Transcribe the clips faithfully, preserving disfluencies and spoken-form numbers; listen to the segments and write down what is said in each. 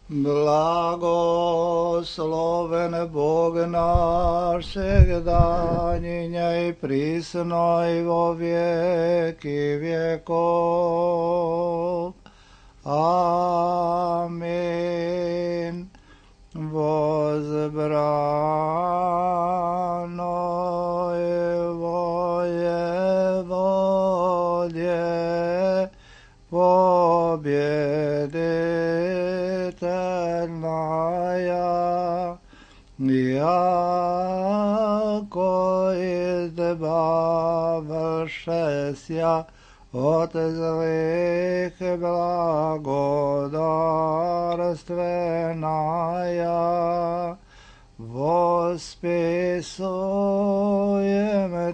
Blagosloven Bog naš, всегда, и присно и во веки веков. Аминь. Возбрано его Еводие, победительная, яко избавившееся от злых благодарственная, восписуем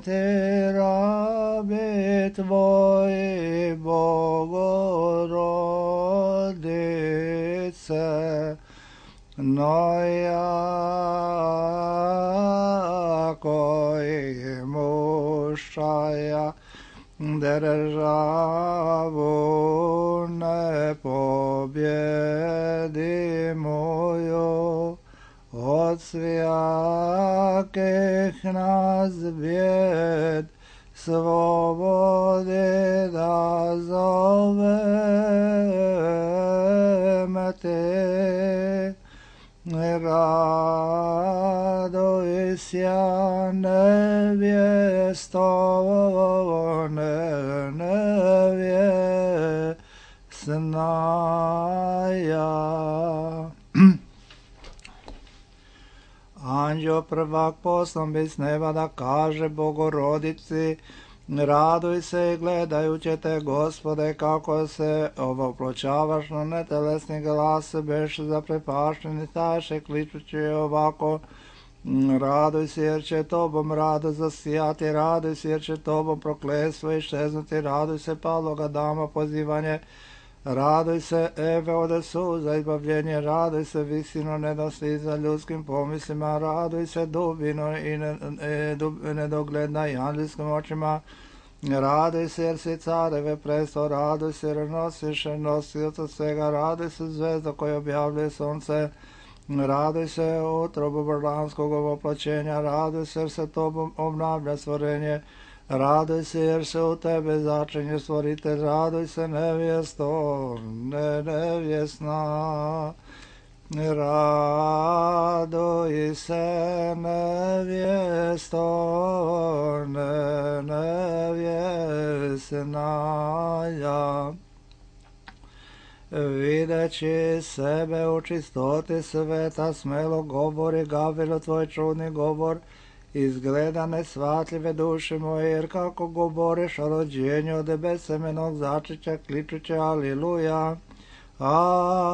Ты, раби Твои, Богородице, но яко имущая державу непобедимую, от всяких нас бед свободы дозовем Ты. Радуйся, невесто, невестная. Anđeo prvak poslan bi s neba da kaže Bogorodici, raduj se i gledajući te, Gospode, kako se ovoploćavaš na netelesni glas, beš zaprepašteni, staše kličući ovako, raduj se jer će tobom rado zasijati, raduj se jer će tobom prokletstvo iščeznuti, raduj se padloga dama pozivanje, raduj se Eve ode suza izbavljenje, raduj se visino nedostiza ljudskim pomislima, raduj se dubino i ne, e, dub, nedogledna i anđelskim očima, raduj se jer si careve presto, raduj se jer nosiš nosioca svega, raduj se zvezda koja objavljuje sunce, raduj se utrobu božanskog ovoploćenja, raduj se jer se tobom obnavlja stvorenje, raduj se jer se u tebe začinje stvoritelj, raduj se nevjesto, ne nevjesna, raduj se nevjesto, ne nevjesna. Videći sebe u čistoti sveta, smelo govori Gavrilo tvoj čudni govor, izgleda nesvatljive duše moje, jer kako govoriš o rođenju od besemenog začeća, kličuće aliluja, aliluja,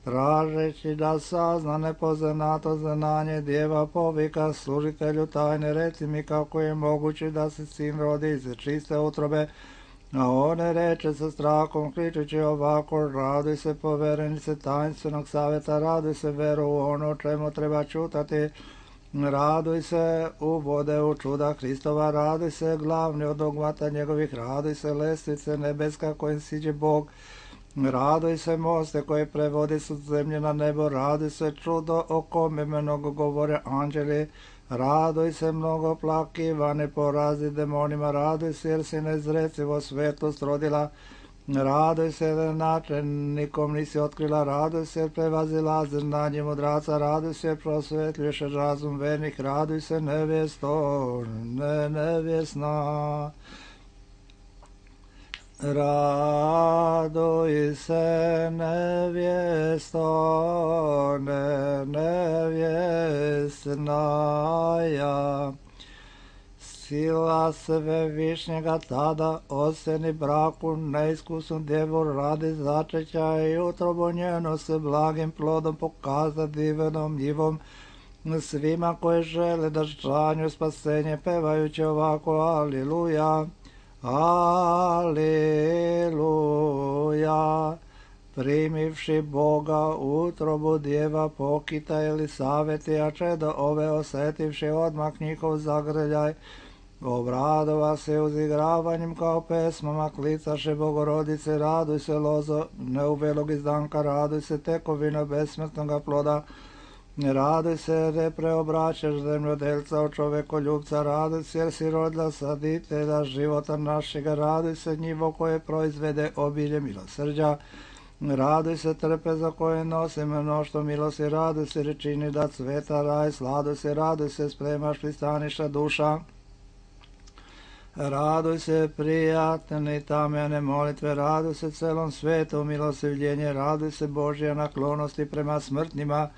tražeći da sazna nepoznato znanje djeva povika služitelju tajne, reci mi kako je moguće da se sin rodi iz čiste utrobe, a one reče sa strahom kričući ovako, raduj se poverenice tajnstvenog savjeta, raduj se veru u ono čemu treba čutati, raduj se u vode u čuda Hristova, raduj se glavni od dogmata njegovih, raduj se lestvice nebeska kojim siđe Bog, raduj se moste koje prevodi su zemlje na nebo, raduj se čudo o kome mnogo govore anđeli, raduj se mnogo plakivane porazi demonima, raduj se jer si nezrecivo svetlost rodila, raduj se jer načelnikom nisi otkrila, raduj se jer prevazila znanje mudraca, raduj se jer prosvetljuješ razum vernih, raduj se nevjesto, ne nevjesna. Raduj se nevjesto, ne nevjesnaja. Sila svevišnjega tada oseni braku neiskusnu djevu radi začeća i utrobu njenu s blagim plodom pokaza divenom njivom svima koji žele da žanju spasenje pevajući ovako aliluja. Aleluja, primivši Boga utrobu djeva pokita Elisaveti, a čedo ove osetivši odmah njihov zagrljaj, Obradova se uzigravanjem kao pesmama, klicaše Bogorodice, raduj se lozo neubelog izdanka, raduj se tekovina besmrtnoga ploda, raduj se jer ne preobraćaš zemljodelca od čovekoljubca, raduj se jer si rodila saditelja života našega, raduj se njivo koje proizvede obilje milosrđa, raduj se trpeza koje nosi mnoštvo milosti, raduj se rečini da cveta raj, sladuj se, raduj se spremaš pristaništa duša, raduj se prijatne tamjane molitve, raduj se celom svetu milostivljenje, raduj se Božja naklonosti prema smrtnima,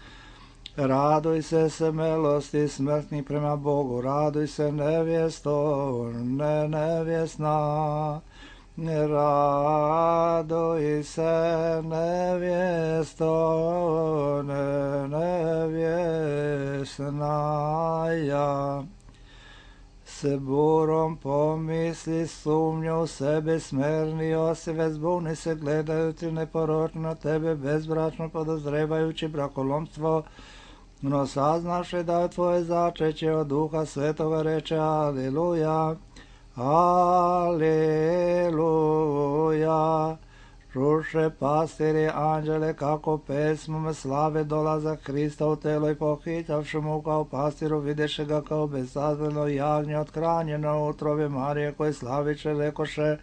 raduj se smelosti smrtnih prema Bogu, raduj se nevjesto, ne nevjesna, raduj se nevjesto, ne nevjesnaja. Se burom pomisli, sumnju u sebe, smerni Josive, zbuni se gledajući neporočno na tebe, bezbračno podozrevajući brakolomstvo, no saznaše da je tvoje začeće od Duha Svetoga, reče Aleluja, Aleluja. Čuše pastiri anđele kako pesmom slave dolazak Hrista u telo i pohitavši mu kao pastiru videše ga kao bezazleno jagnje othranjeno u utrobe Marije koje slaviće rekoše,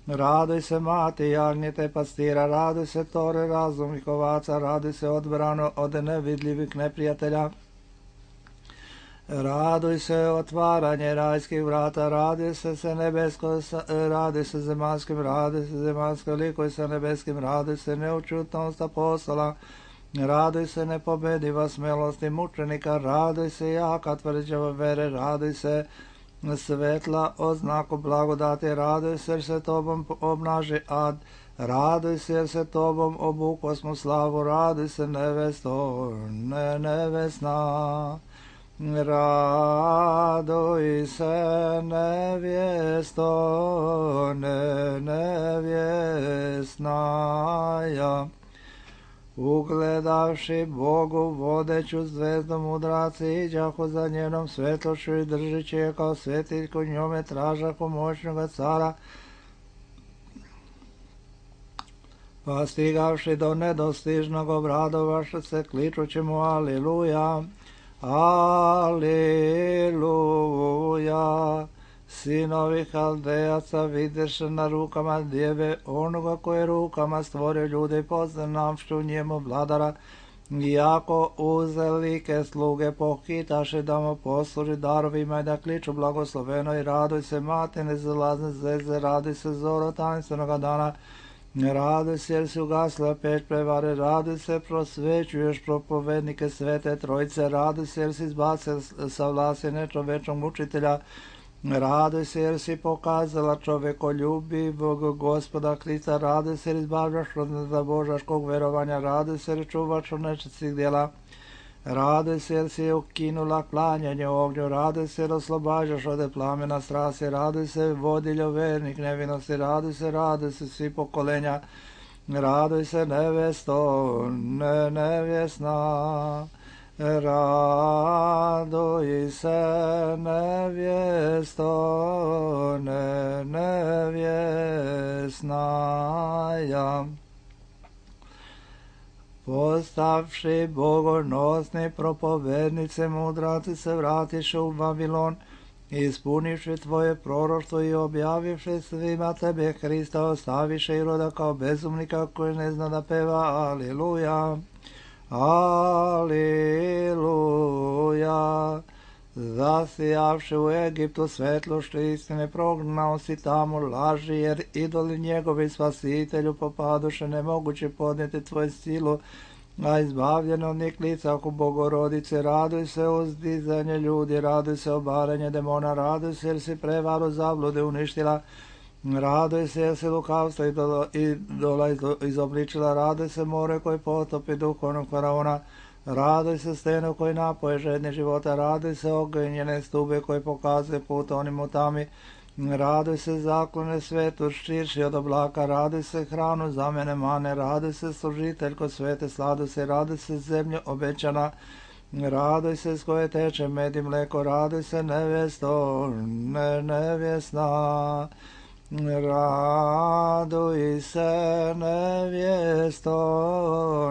raduj se mati jagnjete pastira, raduj se tore razumnih ovaca, raduj se odbrano od nevidljivih neprijatelja, raduj se otvaranje rajskih vrata, raduj se se nebesko, raduj se zemanskim, raduj se zemanskom likuj se nebeskim, raduj se neučutnost apostola, raduj se nepobediva smelosti mučenika, raduj se jaka tvrđava vere, raduj se svetla oznaku blagodati, raduj se jer se tobom obnaži ad, raduj se jer se tobom obukosmo slavu, raduj se nevesto, ne nevesna. Raduj se nevjesto, ne nevjesnaja. Ugledavši Bogu vodeću zvezdu mudraci iđahu za njenom svetlošću i držići je kao svetiljku njome tražahu moćnoga cara, pa stigavši do nedostižnog obradovaše se kličući mu Aleluja, Aleluja. Sinovi Haldejaca videše na rukama djeve onoga koje rukama stvorio ljude i poznavši u njemu vladara, iako uzelike sluge pohitaše da mu posluži darovima i da kliču blagosloveno i raduj se mati nezalazne zvezde, raduj se zoro tanstvenoga dana, raduj se jer si ugasla peć prevare, raduj se prosvećuješ propovednike svete trojice, raduj se jer si izbacio sa vlasti nečovečnog mučitelja, raduj se jer si pokazala čovekoljubivog Gospoda Hrista, raduj se jer izbavljaš od zabožaškog verovanja, raduj se jer čuvaš od nečistih djela, raduj se jer si ukinula klanjanje ognju, raduj se jer oslobađaš od plamena strasti, raduj se vodiljo vernik nevinosti, raduj se, raduj se svi pokolenja, raduj se nevesto, ne nevjesna, raduj se nevjesto, ne nevjesnaja. Postavši bogonosni propovednice mudraci se vratiše u Vavilon, ispunivši tvoje proroštvo i objavivši svima tebe Hrista, ostaviše Iroda kao bezumnika koji ne zna da peva Aleluja, Aleluja. Zasijavši u Egiptu svetlošću istine, prognao si tamo laži, jer idoli njegovi spasitelju popaduše, nemoguće podnijeti tvoju silu, a izbavljeno od njih licahu Bogorodice, raduj se uzdizanje ljudi, raduj se obaranje demona, raduj se jer si prevaru zablude uništila, raduj se jer si lukavstvo idola izobličila, raduj se more koji potopi duhovnog faraona, raduj se stenu koji napoje žedne života, raduj se ognjene stube koji pokazuje put onim u tami, raduj se zaklone svetu širši od oblaka, raduj se hranu za mene mane, raduj se služiteljko svete sladuj se, raduj se zemlje obećana, Raduj se s koje teče med i mleko, raduj se nevjesto, ne nevjesna. Raduj se nevjesto,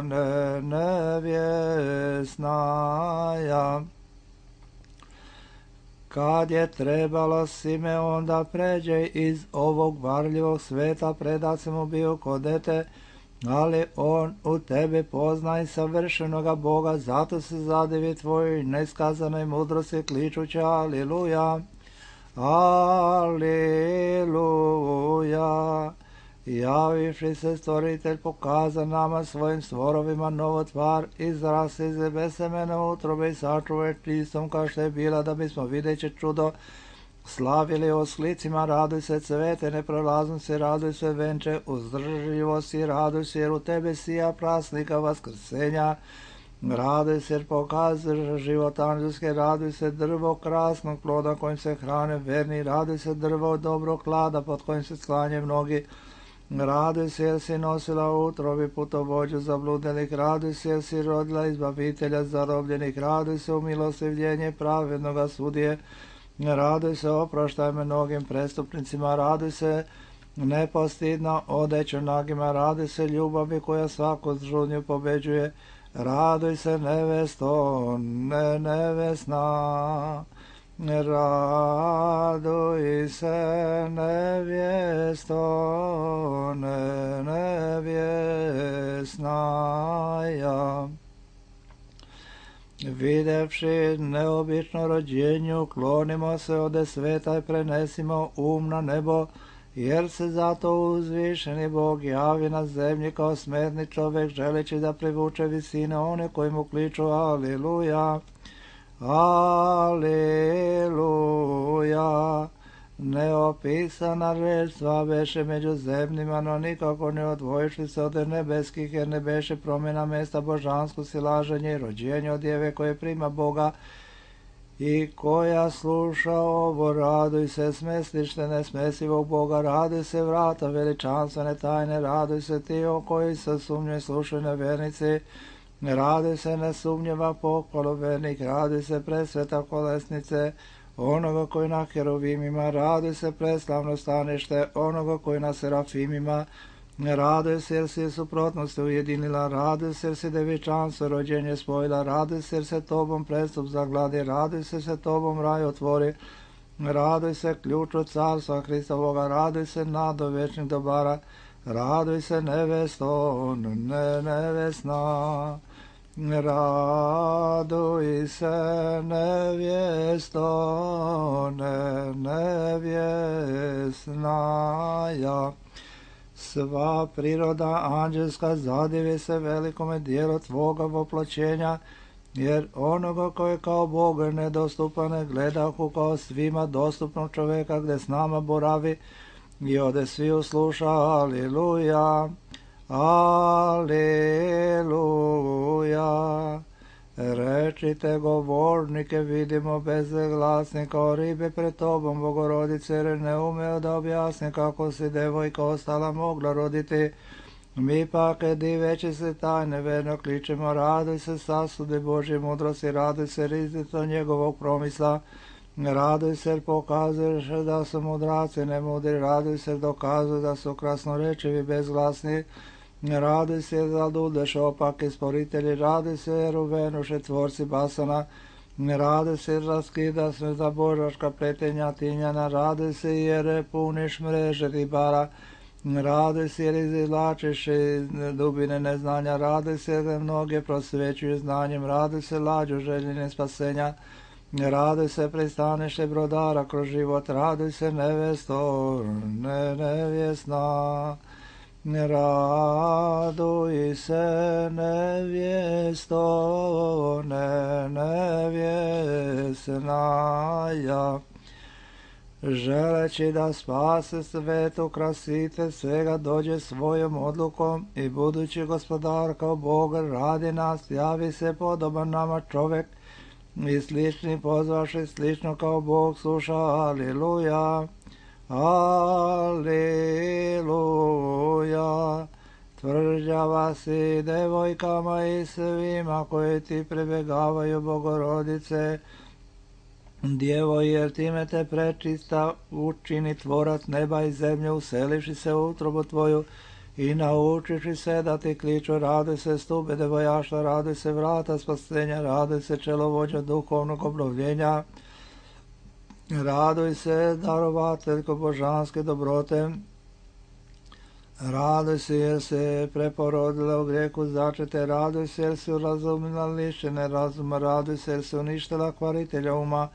ne nevjesnaja. Kad je trebalo Simeon da pređe iz ovog varljivog sveta, predat se mu bio ko dete, ali on u tebi poznaj savršenoga Boga, zato se zadivi tvojoj neskazanoj mudrosti kličući aliluja, aliluja. Javivši se stvoritelj pokaza nama svojim stvorovima novo tvar, izraz iz besemene utrobe i sačuvaj čistom kao što je bila, da bismo videći čudo slavili osklicima. Raduj se cvete neprolaznosti, raduj se venče uzdržljivosti, raduj se jer u tebe sija prasnika vaskrsenja. Raduj se jer pokazuješ život anđelske, raduj se drvo krasnog ploda kojim se hrane verni, raduj se drvo dobrog klada pod kojim se sklanje mnogi. Raduj se jer si nosila u utrobi putovođu zabludenih, raduj se jer si rodila izbavitelja zarobljenih, raduj se u milostivljenje pravednoga sudije, raduj se oproštaj mnogim prestupnicima, raduj se nepostidno odeću nagima, raduj se ljubavi koja svaku žudnju pobeđuje, raduj se nevesto, ne nevesna. Raduj se nevjesto, ne nevjesnaja. Videvši neobično rođenju, klonimo se ode sveta i prenesimo um na nebo, jer se zato uzvišeni Bog javi na zemlji kao smrtni čovjek, želeći da privuče visine one koji mu kliču aliluja. Aleluja. Neopisana reč sva beše među zemljima, no nikako ne odvojišli se od nebeskih, jer ne beše promjena mesta božansko silaženje i rođenje od djeve koje prima Boga i koja sluša ovo. Raduj se smeslište nesmesivog Boga, raduj se vrata veličanstvene tajne, raduj se ti o koji se sumnjoj slušaju nevernici, raduj se nesumnjiva pohvalu vernik, raduj se presveta kolesnice onoga koji na heruvimima, raduj se preslavno stanište onoga koji na serafimima, raduj se jer si suprotnosti ujedinila, raduj se jer si devičanstvo rođenje spojila, raduj se jer se tobom prestup zagladi, raduj se se tobom raj otvori, raduj se ključu carstva Hristovoga, raduj se nado večnih dobara, raduj se nevesto, ne nevesna. Raduj se nevjesto, ne nevjesnaja. Sva priroda anđelska zadivi se velikome dijelu tvoga voploćenja, jer onoga koji kao Boga nedostupan ne gledahu kao svima dostupnog čovjeka gdje s nama boravi i ode svi usluša aliluja. Aleluja. Rečite govornike, vidimo bezglasni kao ribe pred tobom, Bogorodice, jer ne umeo da objasni kako si devojka ostala mogla roditi. Mi pak, diveći se tajne, verno kličemo, raduj se sasude Božje mudrosti, raduj se rizito njegovog promisla, raduj se jer pokazuješ da su mudraci nemudri, raduj se jer dokazuju da su krasnorečivi bezglasni, raduj se jer zadudeš opaki sporitelji, raduj se jer uvenuše tvorci basana, raduj se jer raskida se za božaška pletenja tinjana, raduj se jer puniš mreže ribara, raduj se jer izvlačiš iz dubine neznanja, raduj se jer mnoge prosvećuju znanjem, raduj se lađu željene spasenja, raduj se pristanište brodara kroz život, raduj se nevesto, ne nevjesna. Raduj se nevjesto, ne nevjesnaja. Želeći da spase svetu krasite svega, dođe svojom odlukom i budući gospodar kao Bog radi nas, javi se podoban nama čovjek i slični pozvaši slično kao Bog sluša, aliluja. Aleluja. tvrđava si devojkama i svima koji ti prebegavaju, Bogorodice, Djevo, jer time te prečista učini tvorac neba i zemlje, uselivši se u utrobu tvoju i naučiši se da ti kliču, raduj se stube devojaštva, raduj se vrata spasenja, raduj se čelovođa duhovnog obnovljenja, raduj se darovateljko božanske dobrote, raduj se jer se preporodila u grijehu začete, raduj se jer si urazumila lišene razuma, raduj se jer si uništila kvaritelja uma,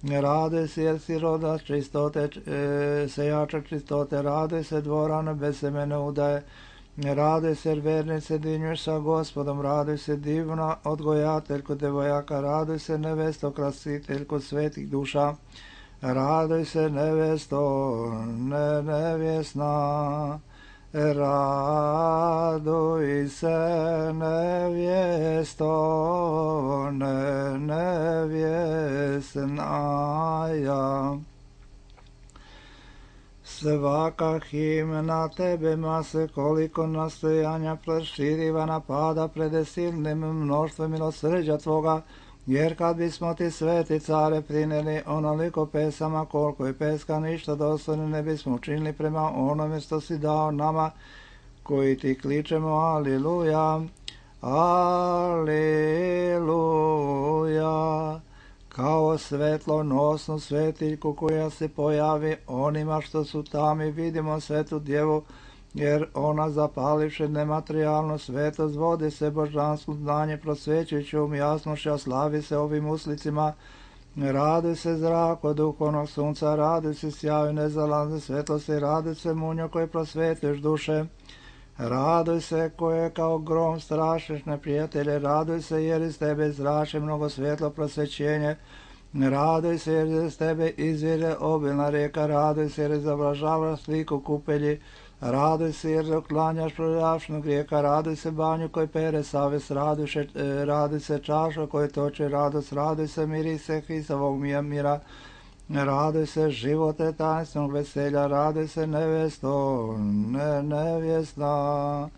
raduj se jer si roda čistote, e, sejača čistote, raduj se dvorana bez semene udaje, raduj se jer vernice dinjuješ sa Gospodom, raduj se divna odgojateljko devojaka, raduj se nevesto krasiteljko svetih duša, raduj se nevesto ne nevjesna, raduj se nevjesto ne nevjesnaja. Svaka himna tebe mase, koliko nastojanja proširiva napada pred silnim mnoštvom milosrđa tvoga, jer kad bismo ti sveti care prineli onoliko pesama, koliko je peska ništa dostojno ne bismo učinili prema onome što si dao nama, koji ti kličemo aliluja, aliluja, kao svetlonosnu svetiljku koja se pojavi onima što su tami, vidimo svetu djevu, jer ona zapalivše nematerijalno svetost, vodi se božansko znanje, prosvećujući um jasnošća, slavi se ovim uslicima, raduj se zrako duhovnog sunca, raduj se sjaju nezalazne svetlosti, raduj se munjo koje prosvetljuješ duše, raduj se koje kao grom strašiš neprijatelje, raduj se jer iz tebe zrače mnogo svjetlo prosvećenje, raduj se jer iz tebe izvire obilna rijeka, raduj se jer izoblažava sliku kupelji, raduj se jer uklanjaš prljavšnog grijeka, raduj se banju koji pere savest, raduj se, raduj se čaša koji toče radost, raduj se mirise Hristovog mira, raduj se živote tajnstvenog veselja, raduj se nevesto ne nevjesna,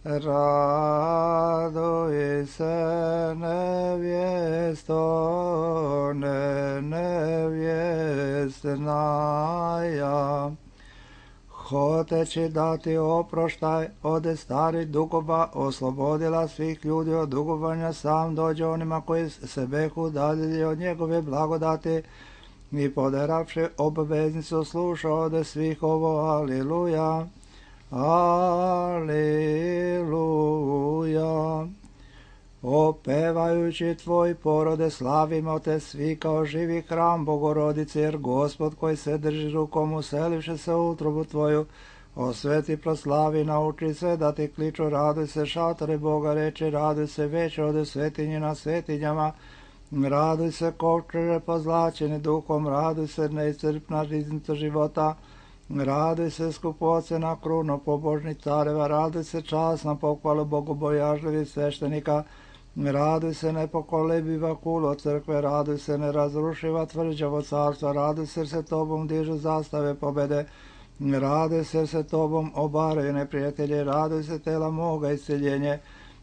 raduj se nevjesto ne nevjesnaja. Hoteći dati oproštaj ode starih dugova, oslobodila svih ljudi od dugovanja, sam dođe onima koji se behu udaljili od njegove blagodati i poderavši obveznicu sluša ode svih ovo, aliluja, aliluja. Opevajući tvoj porode slavimo te svi kao živi hram Bogorodice, jer Gospod koji se drži rukom uselivši se u utrobu tvoju, osveti proslavi, nauči sve da ti kliču, raduj se šatore Boga, reče, raduj se veće ode svetinje na svetinjama, raduj se kovčeže pozlačeni duhom, raduj se neiscrpna riznica života, raduj se skupocena kruno pobožnih careva, raduj se časna pohvalu bogobojažljivih sveštenika, raduj se nepokolebiva kulo crkve, raduj se nerazrušiva tvrđavo carstva, raduj se se tobom dižu zastave pobede, raduj se se tobom obaraju neprijatelje, raduj se tela moga isceljenje,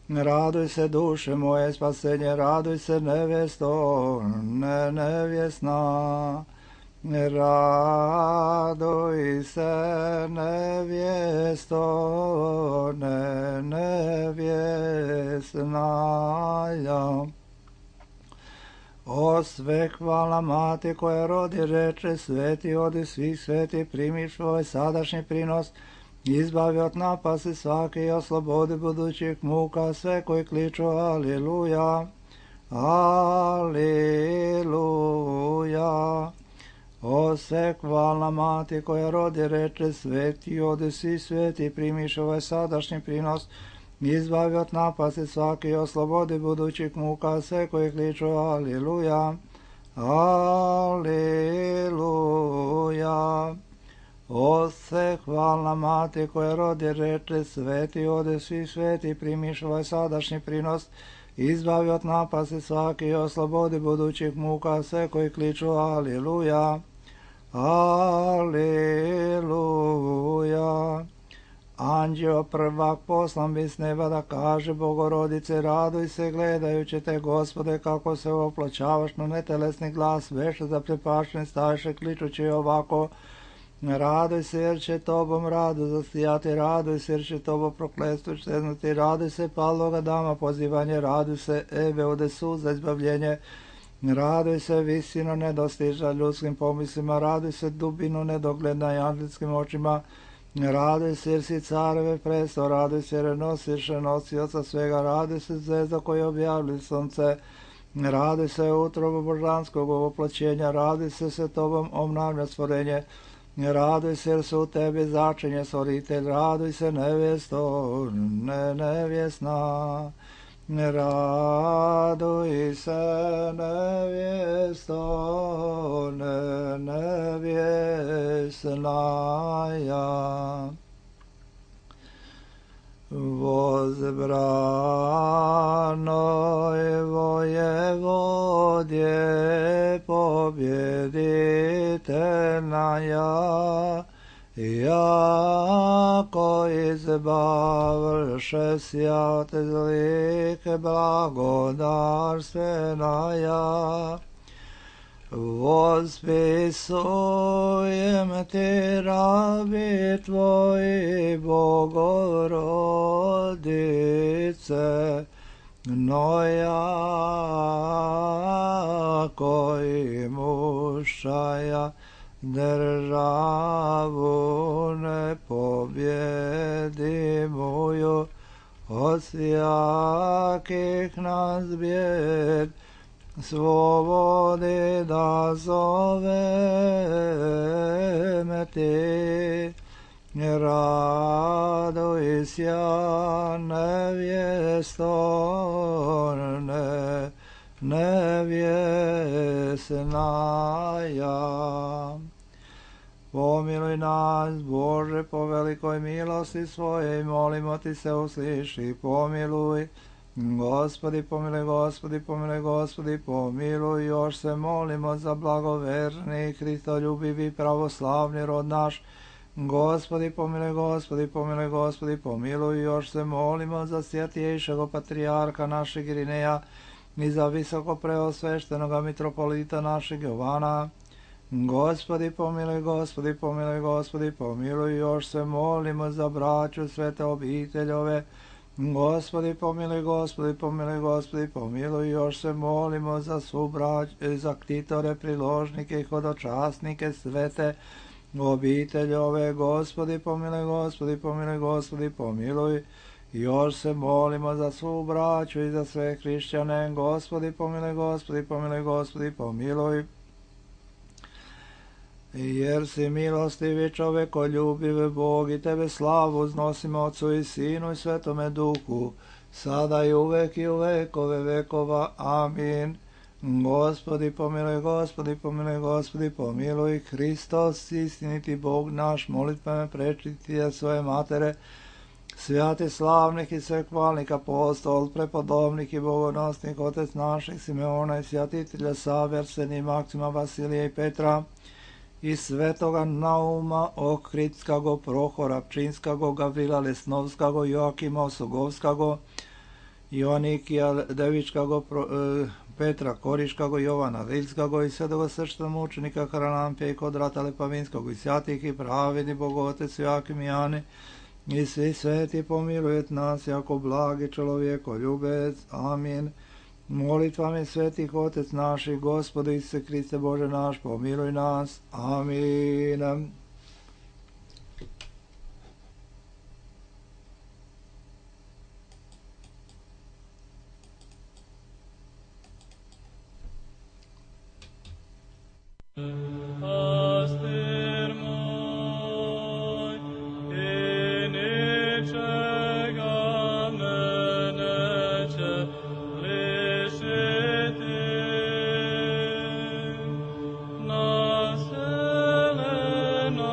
raduj se duše moje spasenje, raduj se nevesto ne nevjesna, raduj se nevjesto ne nevjesnaja. O sve hvala mati koja rodi, reče, sveti odi svih sveti, primi svoj sadašnji prinos, izbavi od napasti svaki i oslobodi budućih muka sve koji kliču aliluja, aliluja. O se hvalna mati koja rodi, reče, sveti odi svi sveti, primiš ovaj sadašnji prinos, izbavi od napasti svaki i oslobodi budućih muka sve koji kliču aliluja, aliluja. O se hvalna mati koja rodi, reče, sveti odi svi sveti, primiš ovaj sadašnji prinos, izbavi od napasti svaki i oslobodi budućih muka sve koji kliču aliluja, aliluja. Anđeo prvak poslan bi s neba da kaže Bogorodice, raduj se gledajući te, Gospode, kako se opločavaš, no netelesni glas veše zaprepašten staše kličući ovako: raduj se jer će tobom radu zastijati, raduj se jer će tobo prokletstvo šteznuti, raduj se palnoga dama pozivanje, raduj se Ebe ode sud za izbavljenje, raduj se visino nedostižna ljudskim pomislima, raduj se dubinu nedogledna i angelskim očima, raduj se jer si careve presto, raduj se jer nosiš nosioca svega, raduj se zvezda koja objavlja sunce, raduj se utrobu božanskog ovoplaćenja, raduj se se tobom obnavlja stvorenje, raduj se jer su u tebi začinje stvoritelj, raduj se nevjesto, ne nevjesna, raduj se nevjesto, ne nevjesnaja. Возбранoj воеводje pobjeditelnaja, jako izbavlše sjate zlike blagodarstvenaja. Vospisujem ti, rabi tvoji, Bogorodice, no jako i mušaja državu nepobjedimuju, od sjakih nas bijed svobodi da zoveme ti. Raduj sja nevjesto, ne nevjesnaja. Pomiluj nas, Bože, po velikoj milosti svojej, molimo ti se, usliši, pomiluj. Gospodi, pomiluj, Gospodi, pomiluj, Gospodi, pomiluj. Još se molimo za blagoverni, Hristoljubivi, pravoslavni rod naš. Gospodi, pomiluj, Gospodi, pomiluj, Gospodi, pomiluj. Još se molimo za svjetiješeg patrijarha našeg Irineja i za visoko preosveštenoga mitropolita našeg Jovana. Gospodi, pomiluj, Gospodi, pomiluj, Gospodi, pomiluj. Još se molimo za braću svete obiteljove. Gospodi, pomiluj, Gospodi, pomiluj, Gospodi, pomiluj. Još se molimo za svu brać, za ktitore, priložnike i hodočasnike svete obiteljove. Gospodi, pomiluj, Gospodi, pomiluj, Gospodi, pomiluj. Još se molimo za svu braću i za sve hrišćane. Gospodi, pomiluj, Gospodi, pomiluj, Gospodi, pomiluj. Jer si milostivi, čovekoljubiv Bog, i tebe slavu uznosimo Otcu i Sinu i Svetome Duhu, sada i uvek i u vekove vekova. Amin. Gospodi, pomiluj, Gospodi, pomiluj, Gospodi, pomiluj. Hristos, istiniti Bog naš, molitvama prečitija svoje matere, svjati slavnih i svekvalnih apostol, prepodobnih i bogonosnih, otec naših Simeona i svjatitelja Save, Arsenija, Maksima, Vasilija i Petra, i svetoga Nauma, Ohridskago, Prohora, Pčinskago, Gavrila Lesnovskago, Joakima Osogovskago, Joanikija Devičkago, Petra Koriškago, Jovana Rilskago i svetoga srčna mučenika Haralampija i Kodrata Lepavinskog i svjatih i pravedni Bogotec Joakim i Jane i svi sveti pomilujet nas jako blagi čovjekoljubec. Amin. Molitvami svetih Otec naših, Gospode Isuse Kriste Bože naš, pomiluj nas. Amin. Nas, Elena,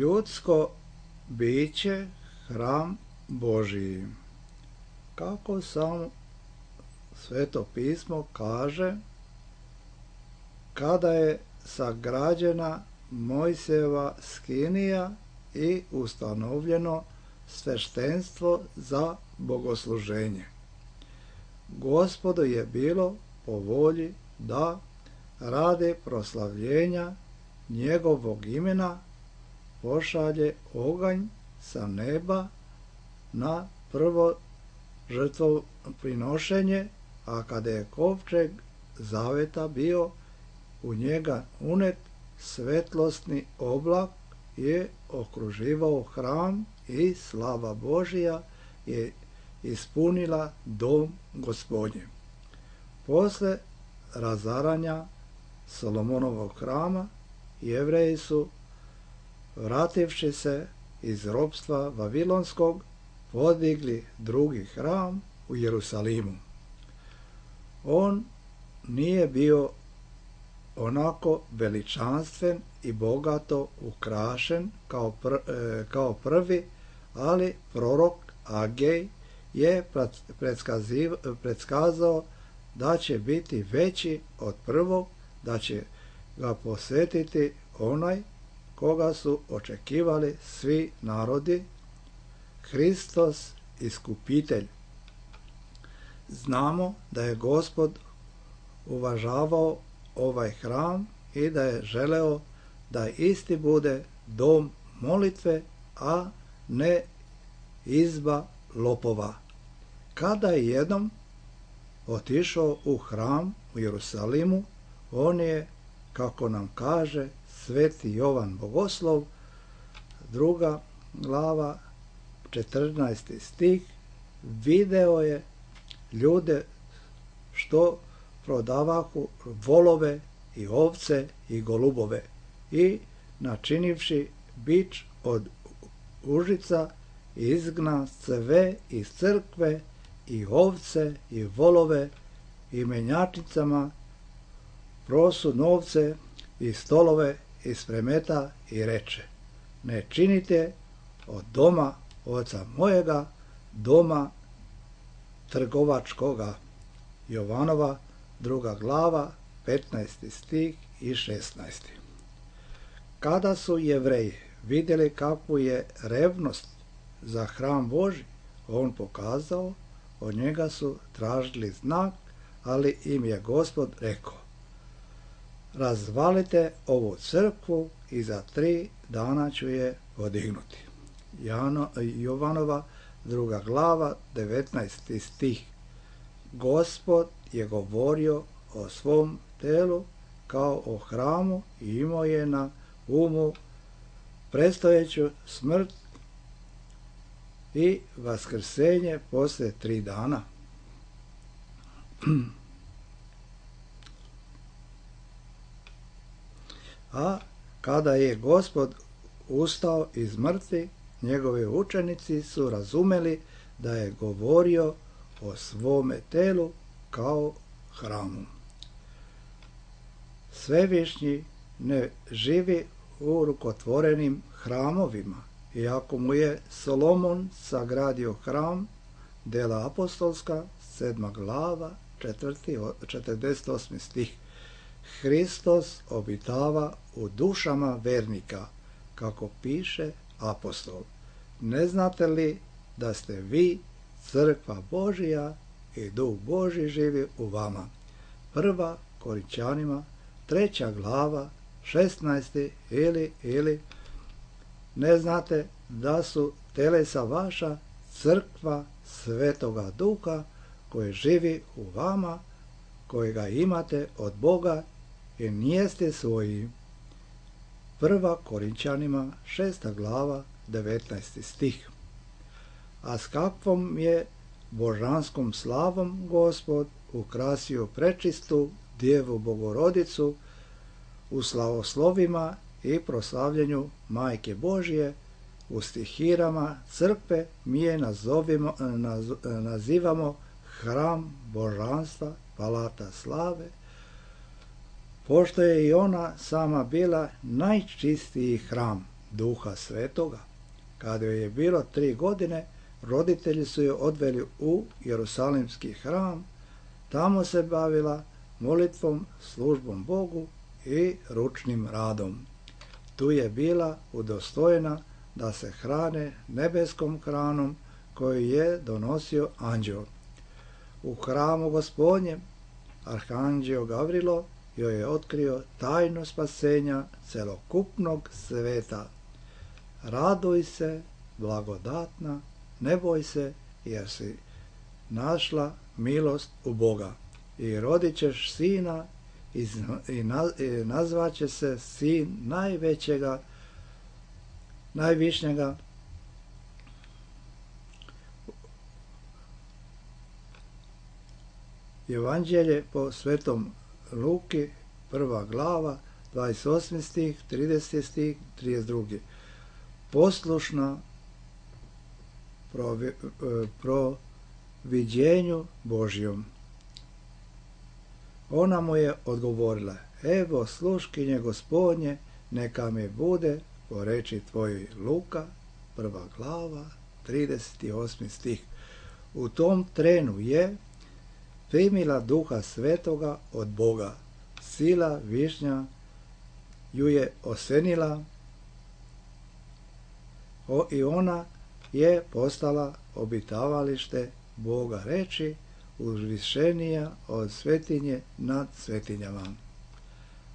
Ljudsko biće, hram Božiji. kako samo Sveto pismo kaže, kada je sagrađena Mojsijeva skinija i ustanovljeno sveštenstvo za bogosluženje. Gospodu je bilo po volji da radi proslavljenja njegovog imena pošalje oganj sa neba na prvo žrtvoprinošenje, a kada je kovčeg zaveta bio u njega unet, svetlosni oblak je okruživao hram i slava Božija je ispunila dom Gospodnji. Posle razaranja Solomonovog hrama, Jevreji su, vrativši se iz ropstva Vavilonskog, podigli drugi hram u Jerusalimu. On nije bio onako veličanstven i bogato ukrašen kao, pr, e, kao prvi, ali prorok Agej je predskazao da će biti veći od prvog, da će ga posvetiti onaj koga su očekivali svi narodi, Hristos iskupitelj. Znamo da je Gospod uvažavao ovaj hram i da je želeo da isti bude dom molitve, a ne izba lopova. Kada je jednom otišao u hram u Jerusalimu, on je, kako nam kaže Sveti Jovan Bogoslov, druga glava, četrnaesti stih, video je ljude što prodavahu volove i ovce i golubove i načinivši bič od užica izgna sve iz crkve i ovce i volove i menjačnicama prosu novce i stolove iz premeta i reče: ne činite od doma oca mojega doma trgovačkoga. Jovanova druga glava, petnaesti stih i šesnaesti. Kada su Jevreji vidjeli kakvu je revnost za hram Božji on pokazao, od njega su tražili znak, ali im je Gospod rekao: razvalite ovu crkvu i za tri dana ću je podignuti. Jano, Jovanova druga glava, devetnaesti stih. Gospod je govorio o svom telu kao o hramu i imao je na umu predstojeću smrt i vaskrsenje posle tri dana. A kada je Gospod ustao iz mrtvih, njegovi učenici su razumeli da je govorio o svome telu kao hramu. Svevišnji ne živi u rukotvorenim hramovima, iako mu je Solomon sagradio hram, Dela apostolska, sedma glava, četrdeset osmi stih. Hristos obitava u dušama vernika, kako piše apostol. Ne znate li da ste vi crkva Božija i Duh Božji živi u vama? Prva Korinčanima, treća glava, šesnaesti ili, ili ne znate da su telesa vaša crkva Svetoga Duha koji živi u vama, kojega imate od Boga i nijeste svoji. Prva Korinčanima, šesta glava, devetnaesti stih. A s kakvom je božanskom slavom Gospod ukrasio prečistu Djevu Bogorodicu u slavoslovima i proslavljanju Majke Božje, u stihirama crkve mi je nazovimo, naz, nazivamo hram božanstva, palata slave, pošto je i ona sama bila najčistiji hram Duha Svetoga. Kada joj je bilo tri godine, roditelji su je odveli u Jerusalimski hram, tamo se bavila molitvom, službom Bogu i ručnim radom. Tu je bila udostojena da se hrane nebeskom hranom koju je donosio anđeo. U hramu Gospodnjem arhanđeo Gavrilo joj je otkrio tajnu spasenja celokupnog sveta. Raduj se, blagodatna, ne boj se, jer si našla milost u Boga. I rodit ćeš sina i, i, na, i nazvaće se sin najvećega, najvišnjega. Evanđelje po svetom Luki, prva glava, dvadeset osmi stih, trideseti stih, trideset drugi. Poslušna provi, proviđenju Božjom. Ona mu je odgovorila: evo sluškinje Gospodnje, neka mi bude po reči tvojoj. Luka, prva glava, trideset osmi stih. U tom trenu je primila Duha Svetoga od Boga. Sila višnja ju je osenila o, i ona je postala obitavalište Boga reči, uzvišenija od svetinje nad svetinjama.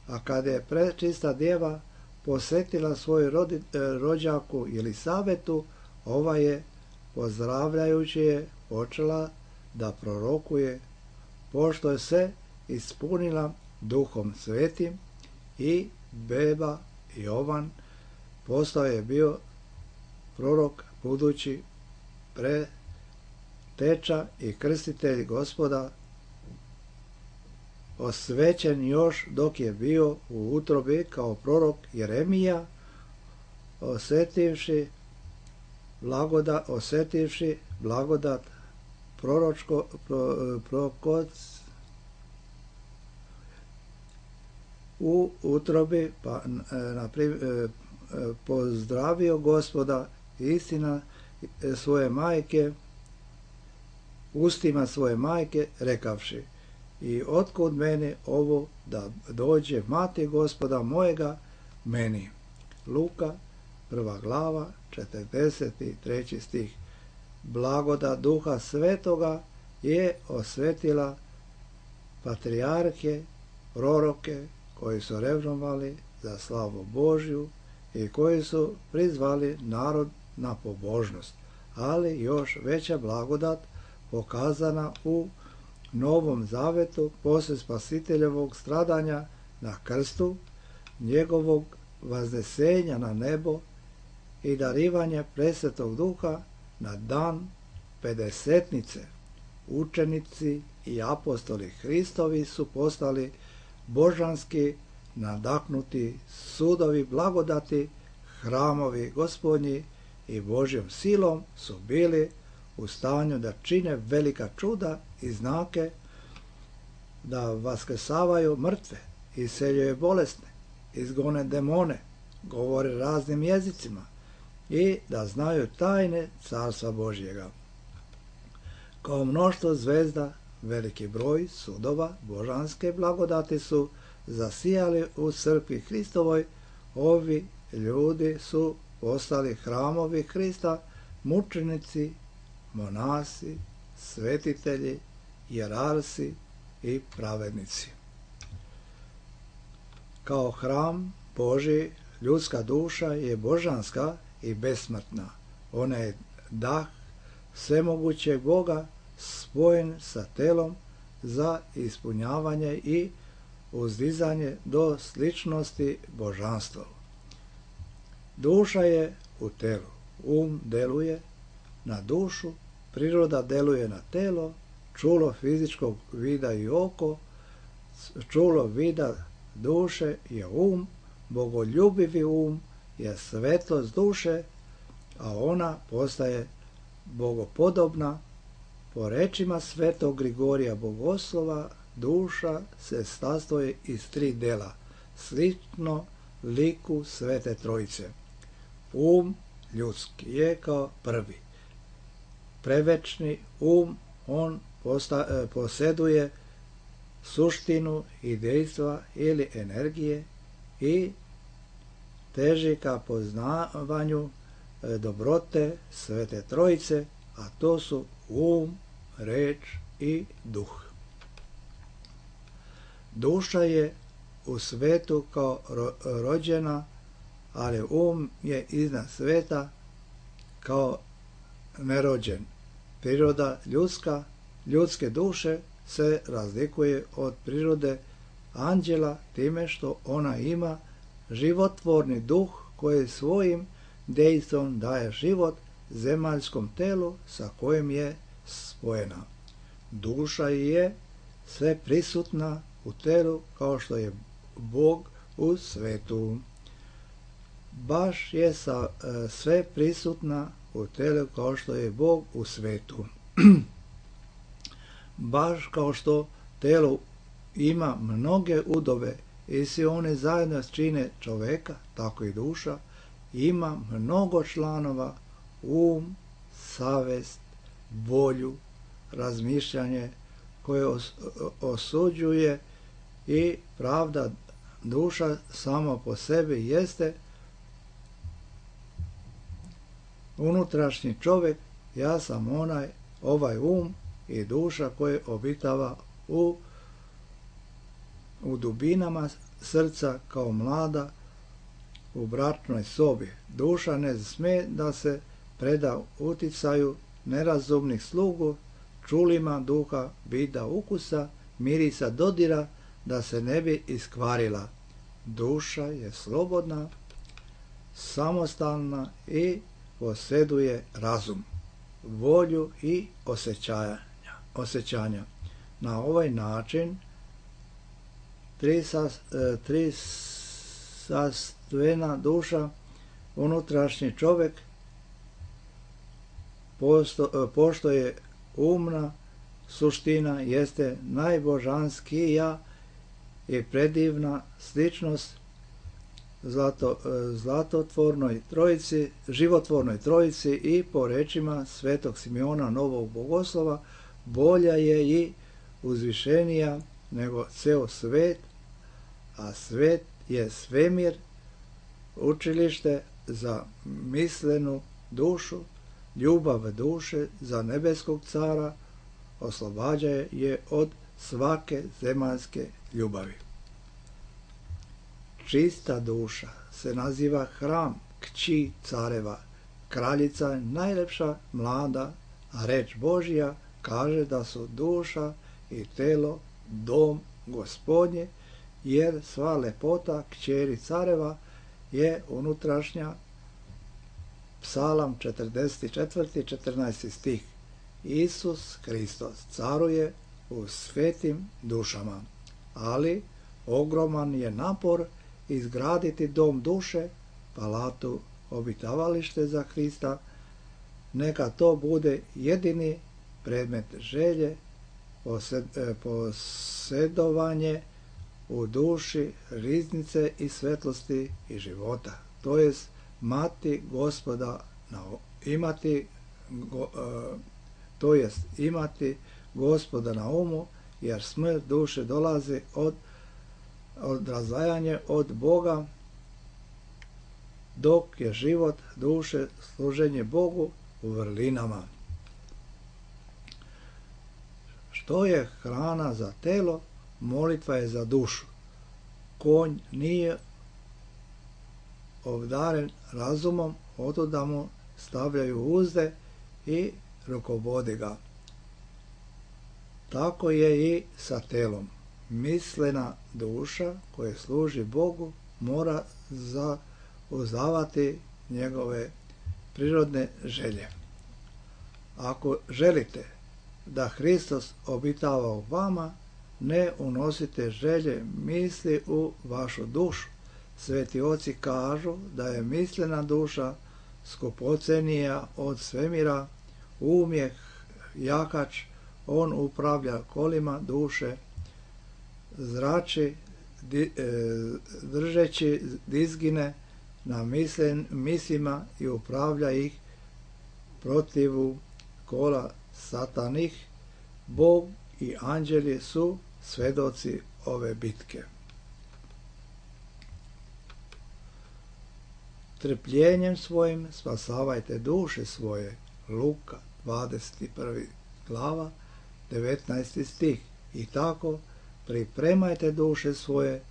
A kada je prečista djeva posjetila svoju rodi, rođaku Elisabetu, ova je, pozdravljajući je, počela da prorokuje, pošto je se ispunila Duhom Svetim, i beba Jovan postao je bio prorok, budući preteča i krstitelj Gospoda, osvećen još dok je bio u utrobi kao prorok Jeremija, osjetivši blagodat, osjetivši blagodat proročko, pro, prokoc u utrobi, pa na primjer, pozdravio Gospoda, istina svoje majke, ustima svoje majke, rekavši: i otkud meni ovo da dođe mati Gospoda mojega meni. Luka, prva glava, četrdeset treći stih. Blagodat Duha Svetoga je osvetila patrijarhe, proroke, koji su revnovali za slavu Božju i koji su prizvali narod na pobožnost, ali još veća blagodat pokazana u Novom Zavetu poslije Spasiteljevog stradanja na krstu, njegovog vaznesenja na nebo i darivanje presvetog Duha na dan pedesetnice. Učenici i apostoli Hristovi su postali božanski nadahnuti sudovi blagodati, hramovi Gospodnji, i Božjom silom su bili u stanju da čine velika čuda i znake, da vaskrsavaju mrtve, iseljuje bolesne, izgone demone, govore raznim jezicima i da znaju tajne Carstva Božjega. Kao mnoštvo zvezda, veliki broj sudova božanske blagodati su zasijali u crkvi Hristovoj. Ovi ljudi su postali hramovi Hrista, mučenici, monasi, svetitelji, jerarsi i pravednici. Kao hram Božji, ljudska duša je božanska i besmrtna. Ona je dah svemogućeg Boga, spojen sa telom za ispunjavanje i uzdizanje do sličnosti božanstva. Duša je u telu, um deluje na dušu, priroda deluje na telo, čulo fizičkog vida i oko, čulo vida duše je um, bogoljubivi um je svetlost duše, a ona postaje bogopodobna. Po rečima svetog Grigorija Bogoslova, duša se sastoji iz tri dela, slično liku Svete Trojice. Um ljudski je kao prvi, prevečni um, on posta, posjeduje suštinu i dejstva ili energije i teži ka poznavanju dobrote Svete Trojice, a to su um, reč i duh. Duša je u svetu kao rođena, ali um je iznad sveta kao nerođen. Priroda ljudska, ljudske duše se razlikuje od prirode anđela time što ona ima životvorni duh koji svojim dejstvom daje život zemaljskom telu sa kojim je spojena. Duša je sve prisutna u telu kao što je Bog u svetu. Baš je sa, e, sve prisutna u telu kao što je Bog u svetu. Baš kao što telo ima mnoge udove i svi one zajedno čine čoveka, tako i duša ima mnogo članova, um, savest, volju, razmišljanje koje os, osuđuje i pravda. Duša sama po sebi jeste unutrašnji čovjek, ja sam onaj, ovaj um i duša koje obitava u, u dubinama srca kao mlada u bračnoj sobi. Duša ne sme da se preda uticaju nerazumnih slugu, čulima duha, vida, ukusa, mirisa, dodira, da se ne bi iskvarila. Duša je slobodna, samostalna i posjeduje razum, volju i osjećanja. osjećanja. Na ovaj način tri, sas, tri sastvena duša, unutrašnji čovjek, posto, pošto je umna suština, jeste najbožanskija i predivna sličnost zlato, zlatotvornoj trojici, životvornoj trojici i po rečima svetog Simeona Novog Bogoslova bolja je i uzvišenija nego ceo svet, a svet je svemir, učilište za mislenu dušu, ljubav duše za nebeskog cara, oslobađa je od svake zemaljske ljubavi. Čista duša se naziva hram kći careva, kraljica najlepša mlada, a reč Božja kaže da su duša i telo dom Gospodnje, jer sva lepota kćeri careva je unutrašnja. Psalam četrdeset četiri, četrnaesti stih. Isus Hristos caruje u svetim dušama, ali ogroman je napor izgraditi dom duše, palatu, obitavalište za Hrista. Neka to bude jedini predmet želje, posjedovanje u duši riznice i svetlosti i života. To jest mati gospoda na, imati go, uh, to jest imati gospoda na umu, jer smrt duše dolazi od, od razdvajanja od Boga, dok je život duše služenje Bogu u vrlinama. Što je hrana za telo, molitva je za dušu. Konj nije obdaren razumom, otuda mu stavljaju uzde i rukovode ga. Tako je i sa telom. Mislena duša koja služi Bogu mora zauzdavati njegove prirodne želje. Ako želite da Hristos obitava u vama, ne unosite želje misli u vašu dušu. Sveti oci kažu da je mislena duša skupocenija od svemira, um je jakač, on upravlja kolima duše, zrači, di, e, držeći dizgine na mislen, mislima i upravlja ih protivu kola satanih, Bog i anđeli su svedoci ove bitke. Trpljenjem svojim spasavajte duše svoje. Luka dvadeset prva glava, devetnaesti stih. I tako pripremajte duše svoje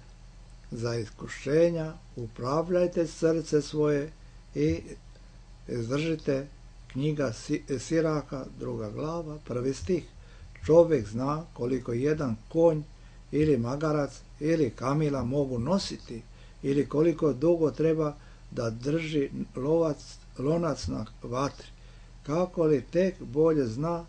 za iskušenja, upravljajte srce svoje i izdržite. Knjiga Siraka, druga glava, prvi stih. Čovjek zna koliko jedan konj ili magarac ili kamila mogu nositi ili koliko dugo treba da drži lovac, lonac na vatri. Kako li tek bolje zna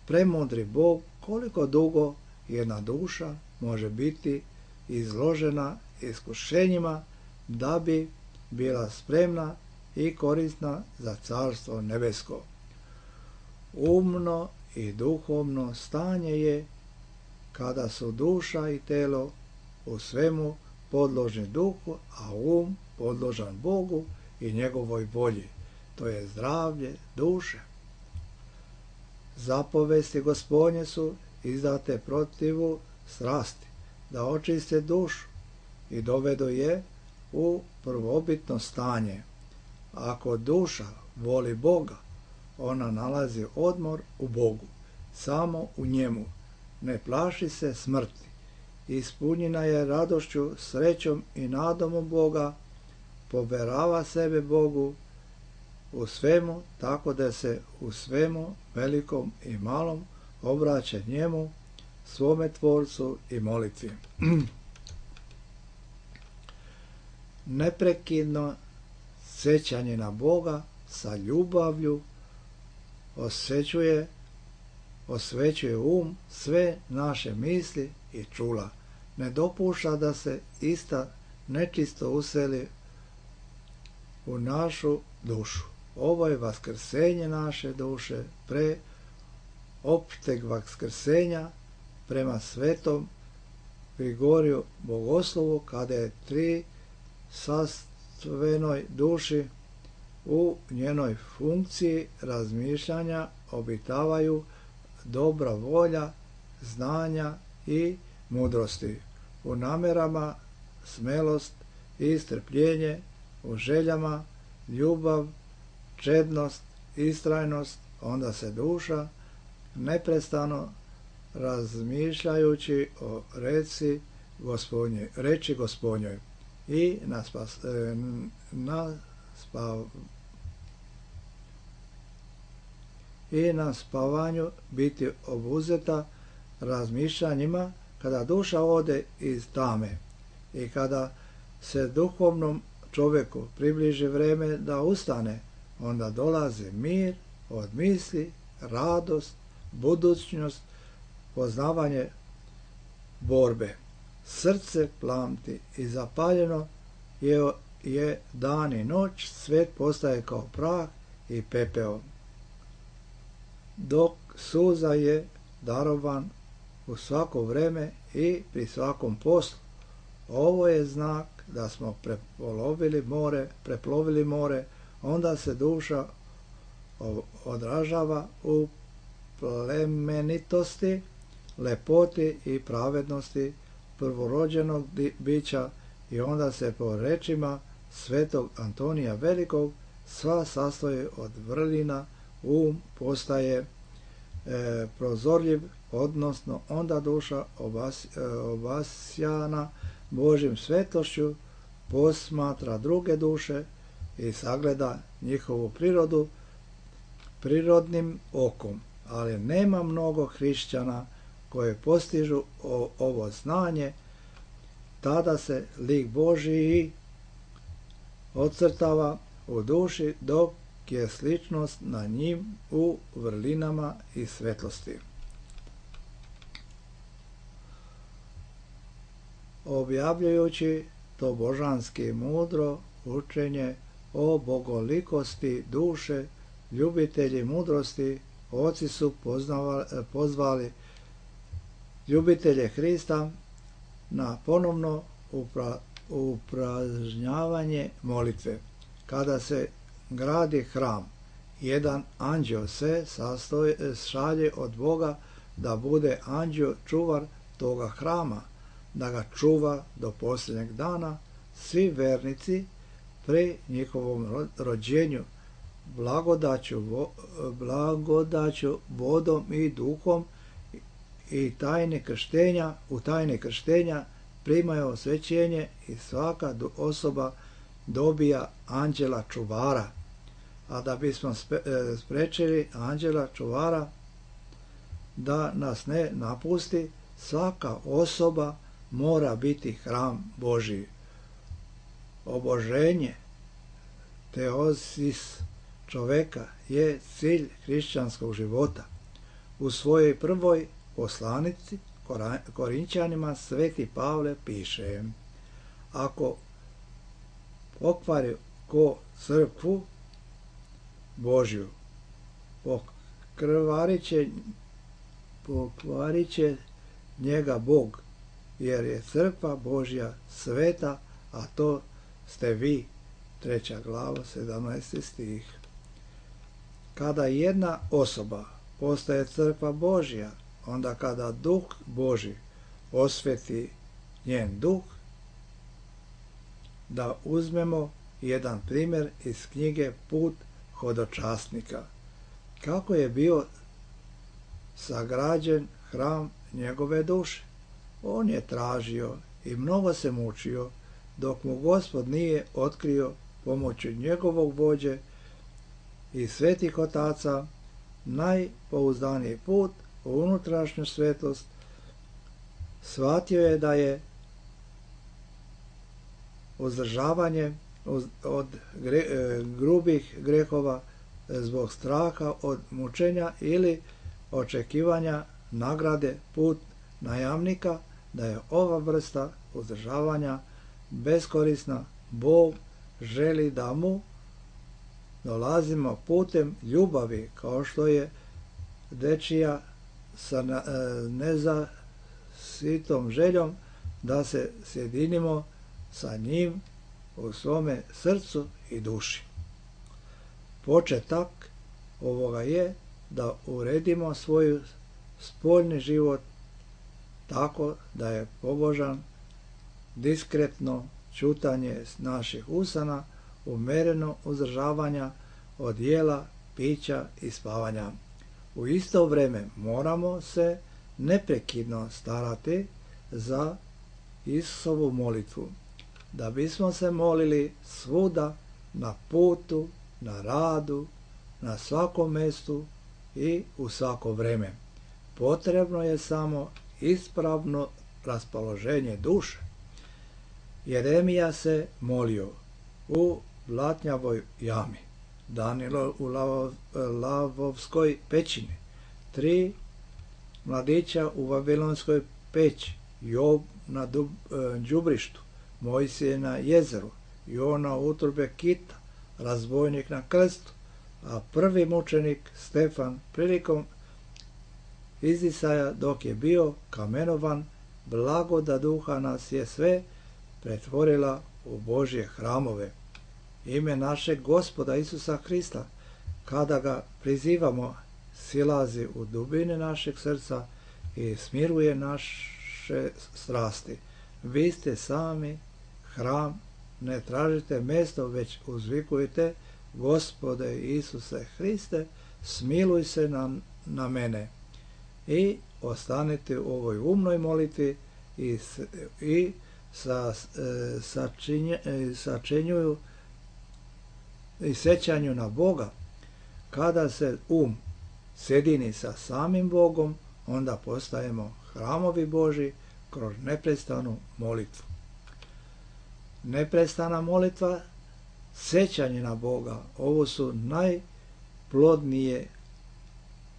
premudri Bog koliko dugo jedna duša može biti izložena iskušenjima da bi bila spremna i korisna za carstvo nebesko. Umno i duhovno stanje je kada su duša i telo u svemu podložni duhu, a um podložan Bogu i njegovoj volji, to je zdravlje duše. Zapovesti Gospodnje su izdate protivu strasti, da očiste dušu i dovedu je u prvobitno stanje. Ako duša voli Boga, ona nalazi odmor u Bogu, samo u njemu. Ne plaši se smrti. Ispunjena je radošću, srećom i nadom u Boga, poverava sebe Bogu u svemu, tako da se u svemu, velikom i malom, obraća njemu, svome Tvorcu i molitvi. Neprekidno sjećanje na Boga sa ljubavlju osvećuje, osvećuje um, sve naše misli i čula. Ne dopušta da se ista nečisto useli u našu dušu. Ovo je vaskrsenje naše duše pre opšteg vaskrsenja prema svetom Grigoriju Bogoslovu, kada je tri sastvenoj duši u njenoj funkciji razmišljanja obitavaju dobra volja, znanja i mudrosti, u namerama smelost i strpljenje, u željama ljubav, čednost, istrajnost. Onda se duša neprestano razmišljajući o reci Gospodnje, reči Gospodnjoj i na, spas, na, spav, i na spavanju biti obuzeta razmišljanjima, kada duša ode iz tame i kada se duhovnom čovjeku približi vreme da ustane, onda dolazi mir od misli, radost, budućnost, poznavanje borbe. Srce plamti i zapaljeno je, je dan i noć, svet postaje kao prah i pepeo. Dok suza je darovan u svako vreme i pri svakom poslu. Ovo je znak da smo preplovili more, preplovili more, onda se duša odražava u plemenitosti, lepoti i pravednosti prvorođenog bića i onda se po rečima svetog Antonija Velikog sva sastoji od vrlina, um postaje e, prozorljiv, odnosno onda duša obas, e, obasjana Božjim svetošću posmatra druge duše i sagleda njihovu prirodu prirodnim okom, ali nema mnogo hrišćana koje postižu o, ovo znanje. Tada se lik Božji ocrtava u duši, dok je sličnost na njim u vrlinama i svetlosti. Objavljujući to božanski mudro učenje o bogolikosti duše, ljubitelji mudrosti, oci su poznavali, pozvali ljubitelje Hrista na ponovno upra, upražnjavanje molitve. Kada se gradi hram jedan anđeo se sastoji, šalje od Boga da bude anđeo čuvar toga hrama, da ga čuva do posljednjeg dana. Svi vernici pri njihovom rođenju blagodaću, blagodaću vodom i duhom i tajne krštenja, u tajne krštenja primaju osvećenje i svaka osoba dobija anđela čuvara. A da bismo sprečili anđela čuvara da nas ne napusti, svaka osoba mora biti hram Božiji. Oboženje, teozis čoveka je cilj hrišćanskog života. U svojoj prvoj poslanici Korinčanima sveti Pavle piše: ako pokvari ko crkvu Božju, pokvarit će, pokvarit će njega Bog, jer je crkva Božja sveta, a to ste vi. Treća glava, sedamnaesti stih. Kada jedna osoba postaje crkva Božja, onda kada Duh Božji osveti njen duh, da uzmemo jedan primjer iz knjige Put hodočasnika. Kako je bio sagrađen hram njegove duše? On je tražio i mnogo se mučio, dok mu Gospod nije otkrio pomoću njegovog vođe i svetih otaca najpouzdaniji put u unutrašnju svetost. Shvatio je da je uzdržavanje od gre, grubih grehova zbog straha od mučenja ili očekivanja nagrade put najamnika, da je ova vrsta uzdržavanja beskorisna. Bog želi da mu dolazimo putem ljubavi, kao što je dečija sa nezasitom željom da se sjedinimo sa njim u svome srcu i duši. Početak ovoga je da uredimo svoj spoljni život tako da je pobožan, diskretno čutanje naših usana, umereno uzdržavanja od jela, pića i spavanja. U isto vrijeme moramo se neprekidno starati za Isusovu molitvu, da bismo se molili svuda, na putu, na radu, na svakom mjestu i u svako vrijeme. Potrebno je samo ispravno raspoloženje duše. Jeremija se molio u Blatnjavoj jami, Danilo u Lavovskoj pećini, tri mladića u Vavilonskoj peći, Job na đubrištu, Mojsije na jezeru, Jona u utrobe kita, razbojnik na krstu, a prvi mučenik Stefan prilikom izdisaja dok je bio kamenovan. Blagoda duha nas je sve pretvorila u Božje hramove. Ime našeg Gospoda Isusa Hrista, kada ga prizivamo, silazi u dubine našeg srca i smiruje naše strasti. Vi ste sami hram, ne tražite mjesto, već uzvikujte: Gospode Isuse Hriste, smiluj se na, na mene. I ostanete u ovoj umnoj molitvi i, i sa, sačinje, sačinjuju i sećanju na Boga. Kada se um sjedini sa samim Bogom, onda postajemo hramovi Božji kroz neprestanu molitvu. Neprestana molitva, sećanje na Boga, ovo su najplodnije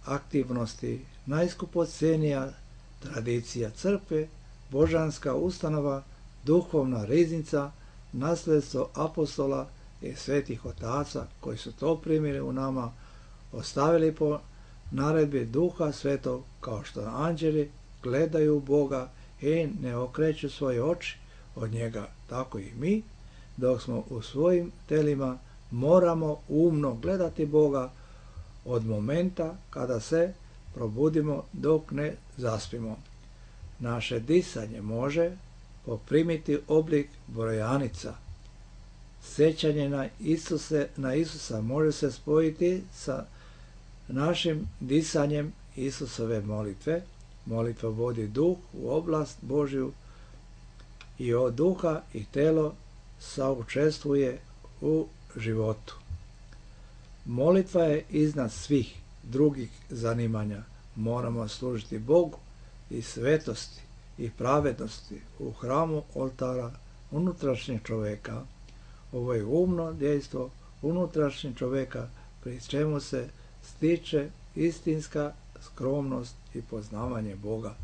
aktivnosti, najskupocjenija tradicija crkve, božanska ustanova, duhovna riznica, nasljedstvo apostola i svetih otaca koji su to primili u nama, ostavili po naredbi Duha Svetog, kao što anđeli gledaju Boga i ne okreću svoje oči od njega, tako i mi, dok smo u svojim telima, moramo umno gledati Boga od momenta kada se probudimo dok ne zaspimo. Naše disanje može poprimiti oblik brojanica. Sjećanje na, Isuse, na Isusa može se spojiti sa našim disanjem Isusove molitve. Molitva vodi duh u oblast Božju i od duha i telo saučestvuje u životu. Molitva je iznad svih drugih zanimanja. Moramo služiti Bogu i svetosti i pravednosti u hramu oltara unutrašnjeg čovjeka. Ovo je umno dejstvo unutrašnjeg čovjeka, pri čemu se stiče istinska skromnost i poznavanje Boga.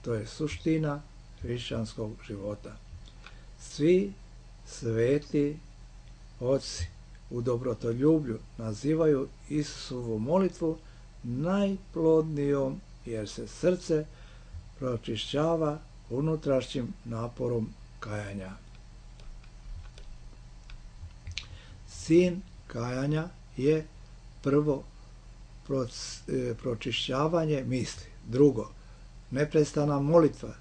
To je suština hrišćanskog života. Svi sveti oci u dobrotoljublju nazivaju Isusovu molitvu najplodnijom, jer se srce pročišćava unutrašnjim naporom kajanja. Sin kajanja je prvo pročišćavanje misli, drugo neprestana molitva,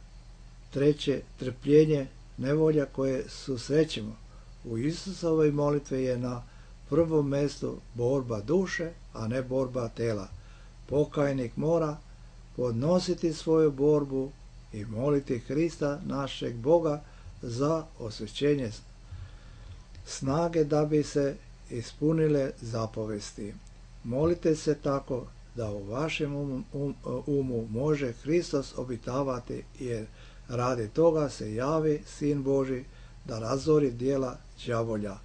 treće trpljenje nevolja koje susrećemo. U Isusovoj molitvi je na prvom mjestu borba duše, a ne borba tela. Pokajnik mora podnositi svoju borbu i moliti Krista, našeg Boga, za osvećenje snage da bi se ispunile zapovesti. Molite se tako da u vašem umu, um, umu može Hristos obitavati, jer radi toga se javi Sin Božji da razori djela đavolja.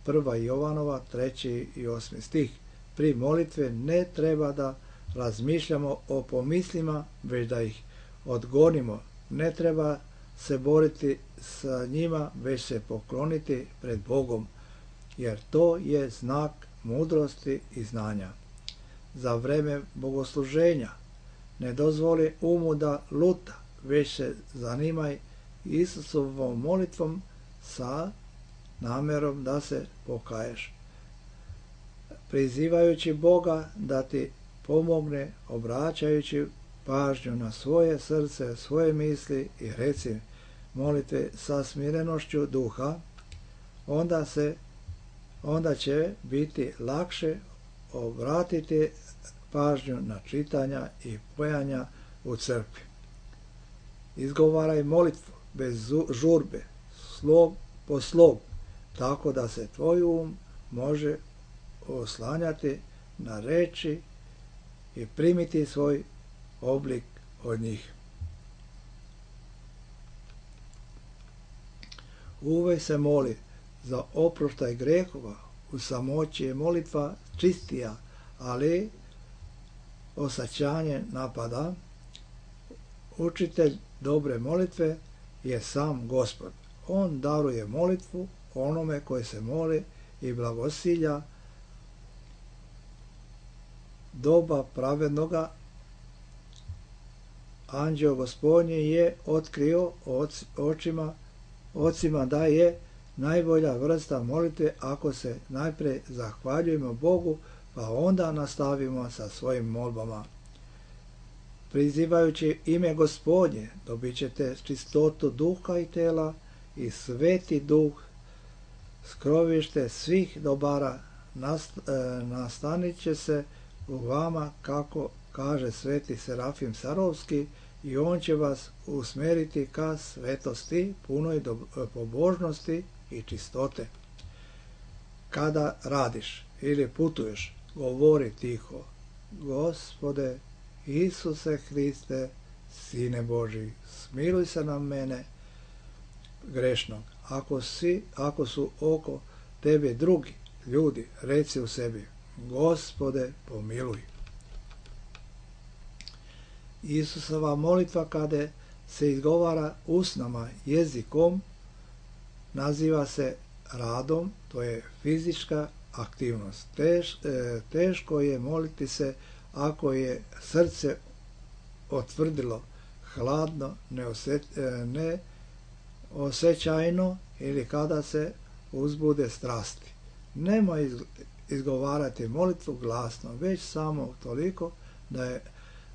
Prva Jovanova, treći i osmi stih. Pri molitve ne treba da razmišljamo o pomislima, već da ih odgonimo. Ne treba se boriti sa njima, već se pokloniti pred Bogom, jer to je znak mudrosti i znanja. Za vreme bogosluženja ne dozvoli umu da luta, već se zanimaj Isusovom molitvom sa namjerom da se pokaješ, prizivajući Boga da ti pomogne, obraćajući pažnju na svoje srce, svoje misli i reci molitve sa smirenošću duha, onda se onda će biti lakše obratiti pažnju na čitanja i pojanja u crkvi. Izgovaraj molitvu bez žurbe, slog po slog, tako da se tvoj um može oslanjati na reči i primiti svoj oblik od njih. Uvek se moli za oproštaj grehova. U samoći je molitva čistija, ali osačanje napada. Učitelj dobre molitve je sam Gospod. On daruje molitvu onome koji se moli i blagosilja doba pravednoga. Anđeo Gospodnji je otkrio očima, ocima da je najbolja vrsta molitve ako se najprije zahvaljujemo Bogu, pa onda nastavimo sa svojim molbama. Prizivajući ime Gospodnje dobit ćete čistotu duha i tela, i sveti duh, skrovište svih dobara, nastanit će se u vama, kako kaže sveti Serafim Sarovski, i on će vas usmjeriti ka svetosti, punoj pobožnosti i čistote. Kada radiš ili putuješ, govori tiho: Gospode Isuse Hriste, Sine Božji, smiluj se na mene grešnog. Ako, si, ako su oko tebe drugi ljudi, reci u sebi: Gospode, pomiluj. Isusova molitva, kada se izgovara usnama, jezikom, naziva se radom, to je fizička aktivnost. Teš, teško je moliti se ako je srce otvrdilo, hladno, neosjećajno, ili kada se uzbude strasti. Nemoj izgovarati molitvu glasno, već samo toliko da je,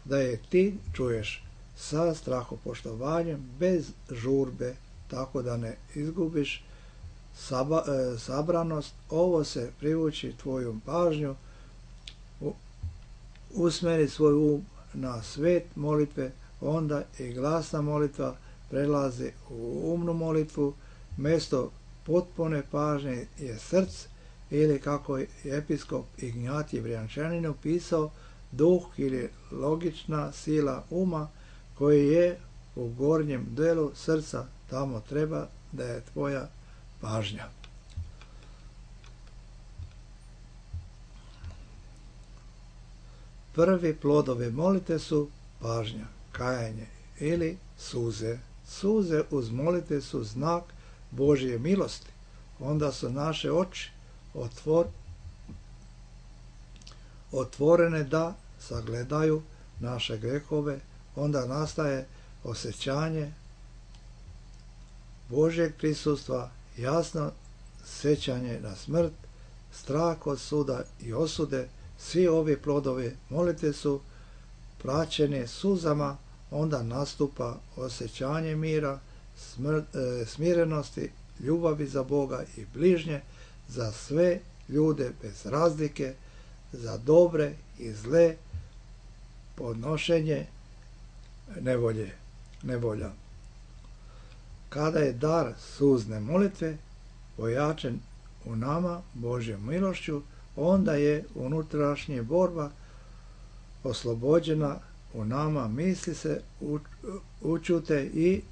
da je ti čuješ sa strahopoštovanjem, bez žurbe, tako da ne izgubiš saba, e, sabranost. Ovo se privuči tvoju pažnju, u, usmeri svoj um na svet molitve, onda i glasna molitva prelazi u umnu molitvu. Mjesto potpune pažnje je srce, ili kako je episkop Ignjatij Brjančanin opisao, duh ili logična sila uma koji je u gornjem delu srca. Tamo treba da je tvoja pažnja. Prvi plodovi molite su pažnja, kajanje ili suze. Suze uz molite su znak Božje milosti. Onda su naše oči otvor, otvorene da sagledaju naše grehove. Onda nastaje osjećanje Božjeg prisustva, jasno sjećanje na smrt, strah od suda i osude. Svi ovi plodovi molite su praćeni suzama. Onda nastupa osjećanje mira, smr, e, smirenosti, ljubavi za Boga i bližnje, za sve ljude bez razlike, za dobre i zle, podnošenje nevolje, nevolja. Kada je dar suzne molitve pojačan u nama Božjom milošću, onda je unutrašnja borba oslobođena u nama, misli se učute i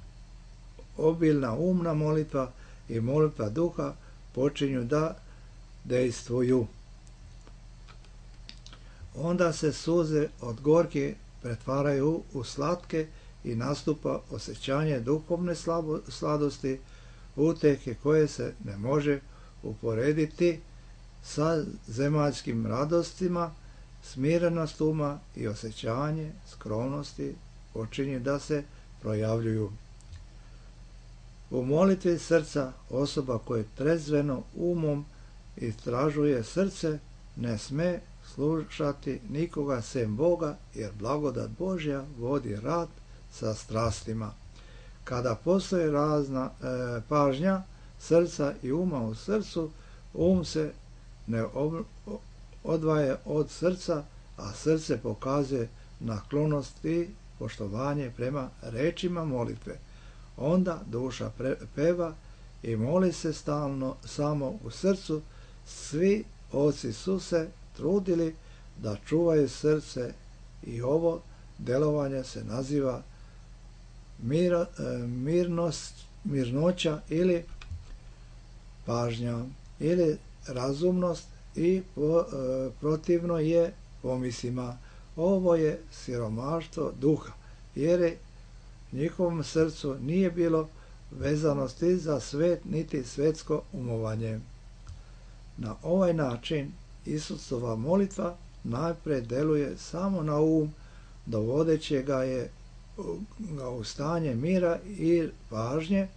obilna umna molitva i molitva duha počinju da dejstvuju. Onda se suze od gorke pretvaraju u slatke i nastupa osjećanje duhovne slabo, sladosti, uteke koje se ne može uporediti sa zemaljskim radostima. Smirenost uma i osjećanje skromnosti počinju da se projavljuju. U molitvi srca osoba koja trezveno umom istražuje srce ne sme slušati nikoga sem Boga, jer blagodat Božja vodi rad sa strastima. Kada postoji razna e, pažnja srca i uma u srcu, um se ne ob, odvaja od srca, a srce pokazuje naklonost i poštovanje prema rečima molitve. Onda duša pre, peva i moli se stalno samo u srcu. Svi oci su se trudili da čuvaju srce i ovo delovanje se naziva mir, mirnost, mirnoća ili pažnja ili razumnost i po, e, protivno je pomislima. Ovo je siromaštvo duha, jer je njihovom srcu nije bilo vezanosti za svet niti svetsko umovanje. Na ovaj način Isusova molitva najpre deluje samo na um, dovodeći ga je ga u stanje mira i pažnje,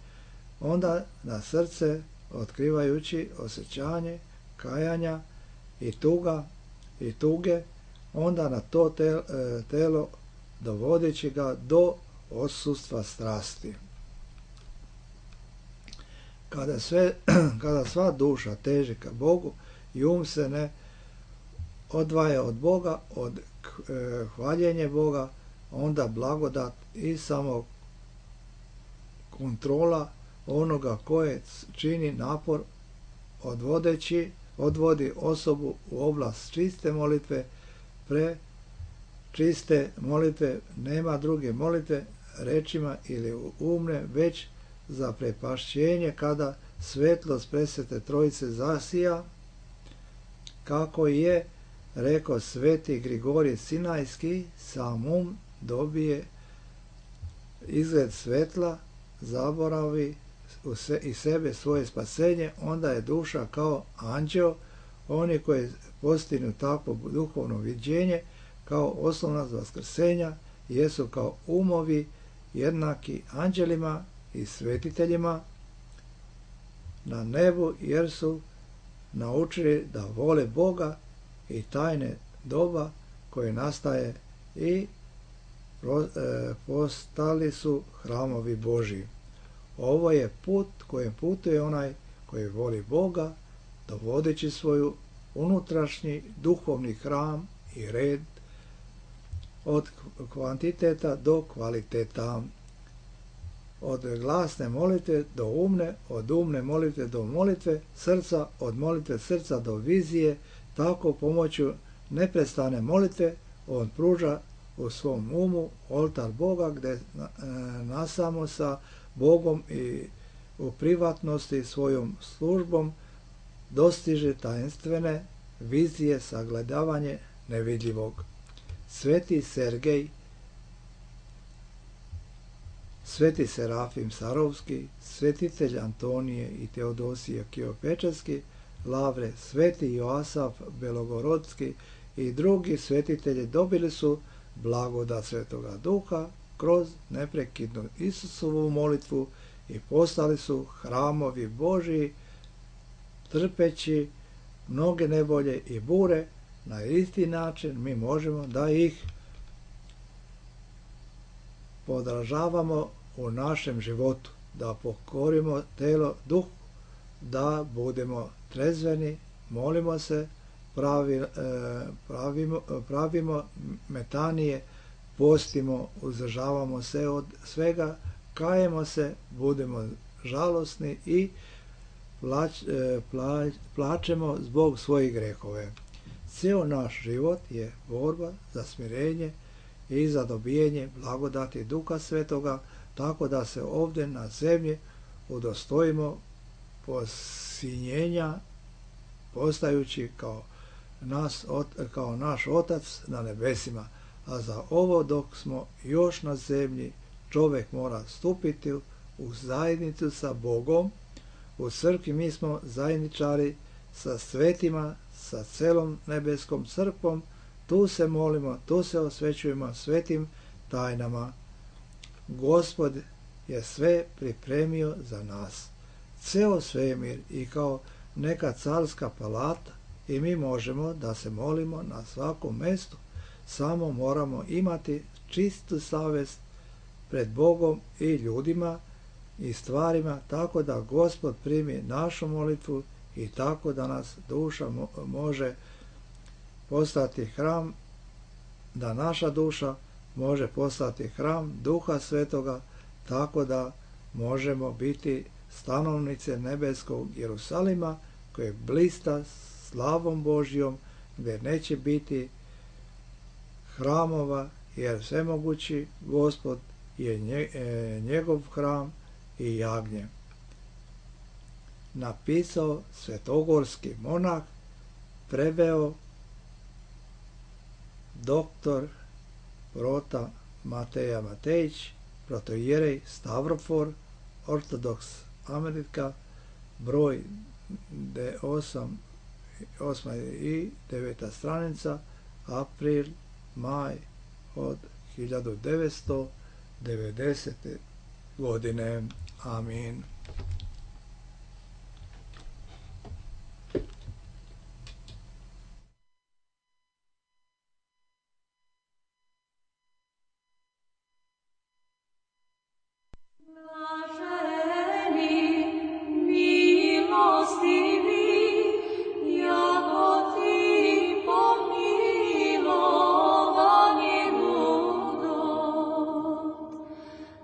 onda na srce otkrivajući osjećanje kajanja i tuga i tuge, onda na to telo dovodeći ga do odsustva strasti. Kada, sve, kada sva duša teži ka Bogu i um se ne odvaja od Boga, od e, hvaljenja Boga, onda blagodat i samo kontrola onoga koje čini napor odvodeći, odvodi osobu u oblast čiste molitve. Pre čiste molitve nema druge molitve rečima ili umne, već za prepašćenje kada svetlost presvete trojice zasija, kako je rekao sveti Grigorije Sinajski, sam um dobije izgled svetla, zaboravi u se, i sebe svoje spasenje, onda je duša kao anđeo. Oni koji postignu takvo duhovno viđenje kao oslonac vaskrsenja jesu kao umovi jednaki anđelima i svetiteljima na nebu, jer su naučili da vole Boga i tajne doba koje nastaje i postali su hramovi Božji. Ovo je put kojim putuje onaj koji voli Boga, dovodeći svoju unutrašnji duhovni hram i red od kvantiteta do kvaliteta, od glasne molitve do umne, od umne molitve do molitve srca, od molitve srca do vizije. Tako pomoću neprestane molitve on pruža u svom umu oltar Boga, gdje nasamo sa Bogom i u privatnosti svojom službom dostiže tajenstvene vizije, sagledavanje nevidljivog. Sveti Sergej, Sveti Serafim Sarovski, svetitelj Antonije i Teodosije Kijopečarski, Lavre, Sveti Joasaf Belogorodski i drugi svetitelji dobili su blagodat Svetoga Duha kroz neprekidnu Isusovu molitvu i postali su hramovi Božji, trpeći mnoge nevolje i bure. Na isti način mi možemo da ih podražavamo u našem životu, da pokorimo telo, duh, da budemo trezveni, molimo se, pravi, pravimo, pravimo metanije, postimo, uzdržavamo se od svega, kajemo se, budemo žalosni i plać, plać, plačemo zbog svojih grehove. Cijel naš život je borba za smirenje i za dobijenje blagodati Duha Svetoga, tako da se ovdje na zemlji udostojimo posinjenja, postajući kao, nas, kao naš Otac na nebesima. A za ovo dok smo još na zemlji, čovjek mora stupiti u zajednicu sa Bogom. U crkvi mi smo zajedničari sa svetima, sa celom nebeskom crkvom. Tu se molimo, tu se osvećujemo svetim tajnama. Gospod je sve pripremio za nas. Ceo svemir i kao neka carska palata i mi možemo da se molimo na svakom mjestu. Samo moramo imati čistu savjest pred Bogom i ljudima i stvarima, tako da Gospod primi našu molitvu i tako da nas duša može postati hram, da naša duša može postati hram Duha Svetoga, tako da možemo biti stanovnice nebeskog Jerusalima koje blista slavom Božjom, gdje neće biti hramova, jer svemogući Gospod je njegov hram i jagnje. Napisao svetogorski monah, preveo doktor Prota Mateja Matejić, protoijerej Stavrofor, Ortodoks Amerika, broj osam i deveta stranica, april, maj od hiljadu devetsto devedesete godine. Amin.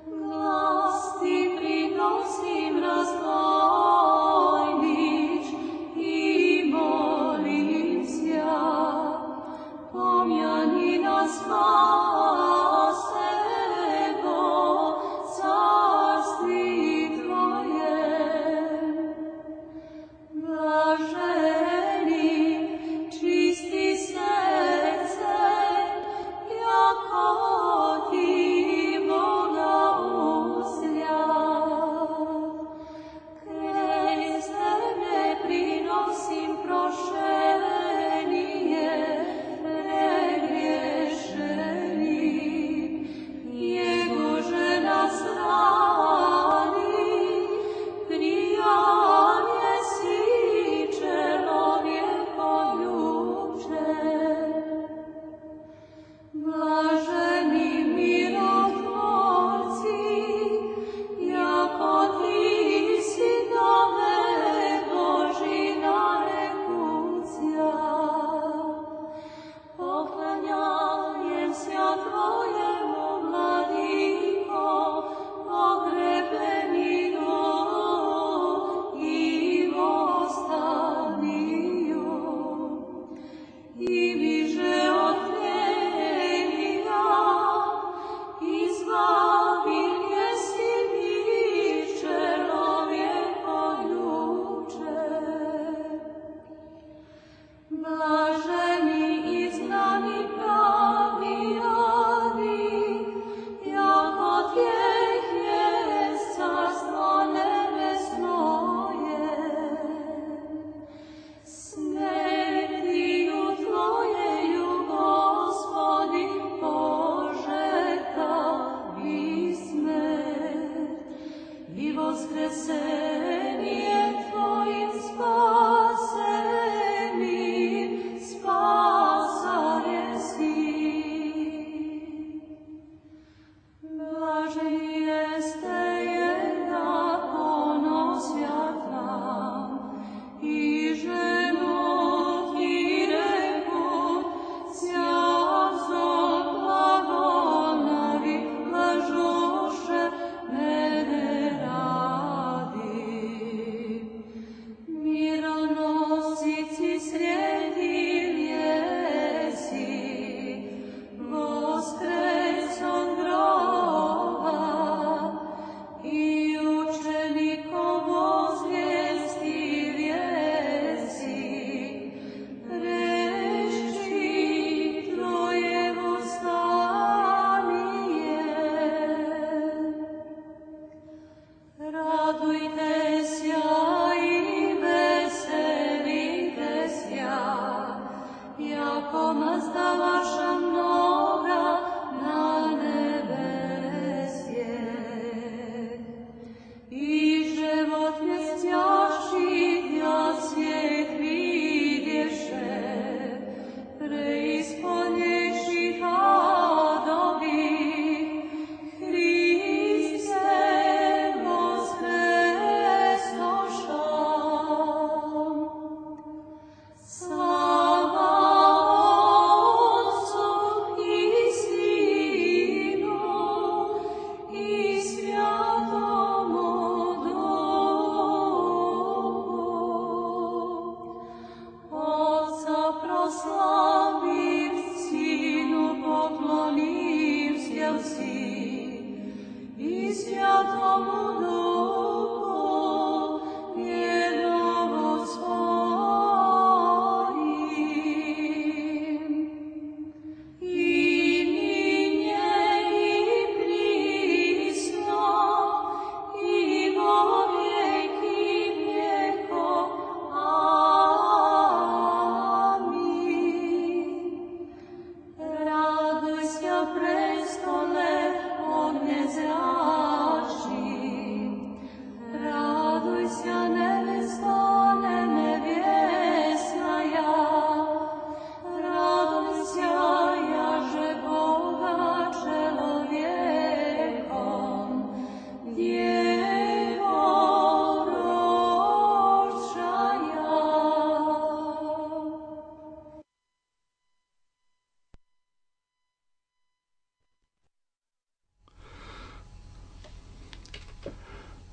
Glas ti prinosim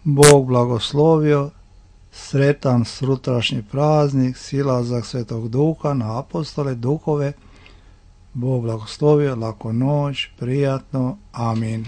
Bog blagoslovio, sretan sutrašnji praznik, silazak Svetog Duha na apostole, duhove. Bog blagoslovio, laku noć, prijatno, amin.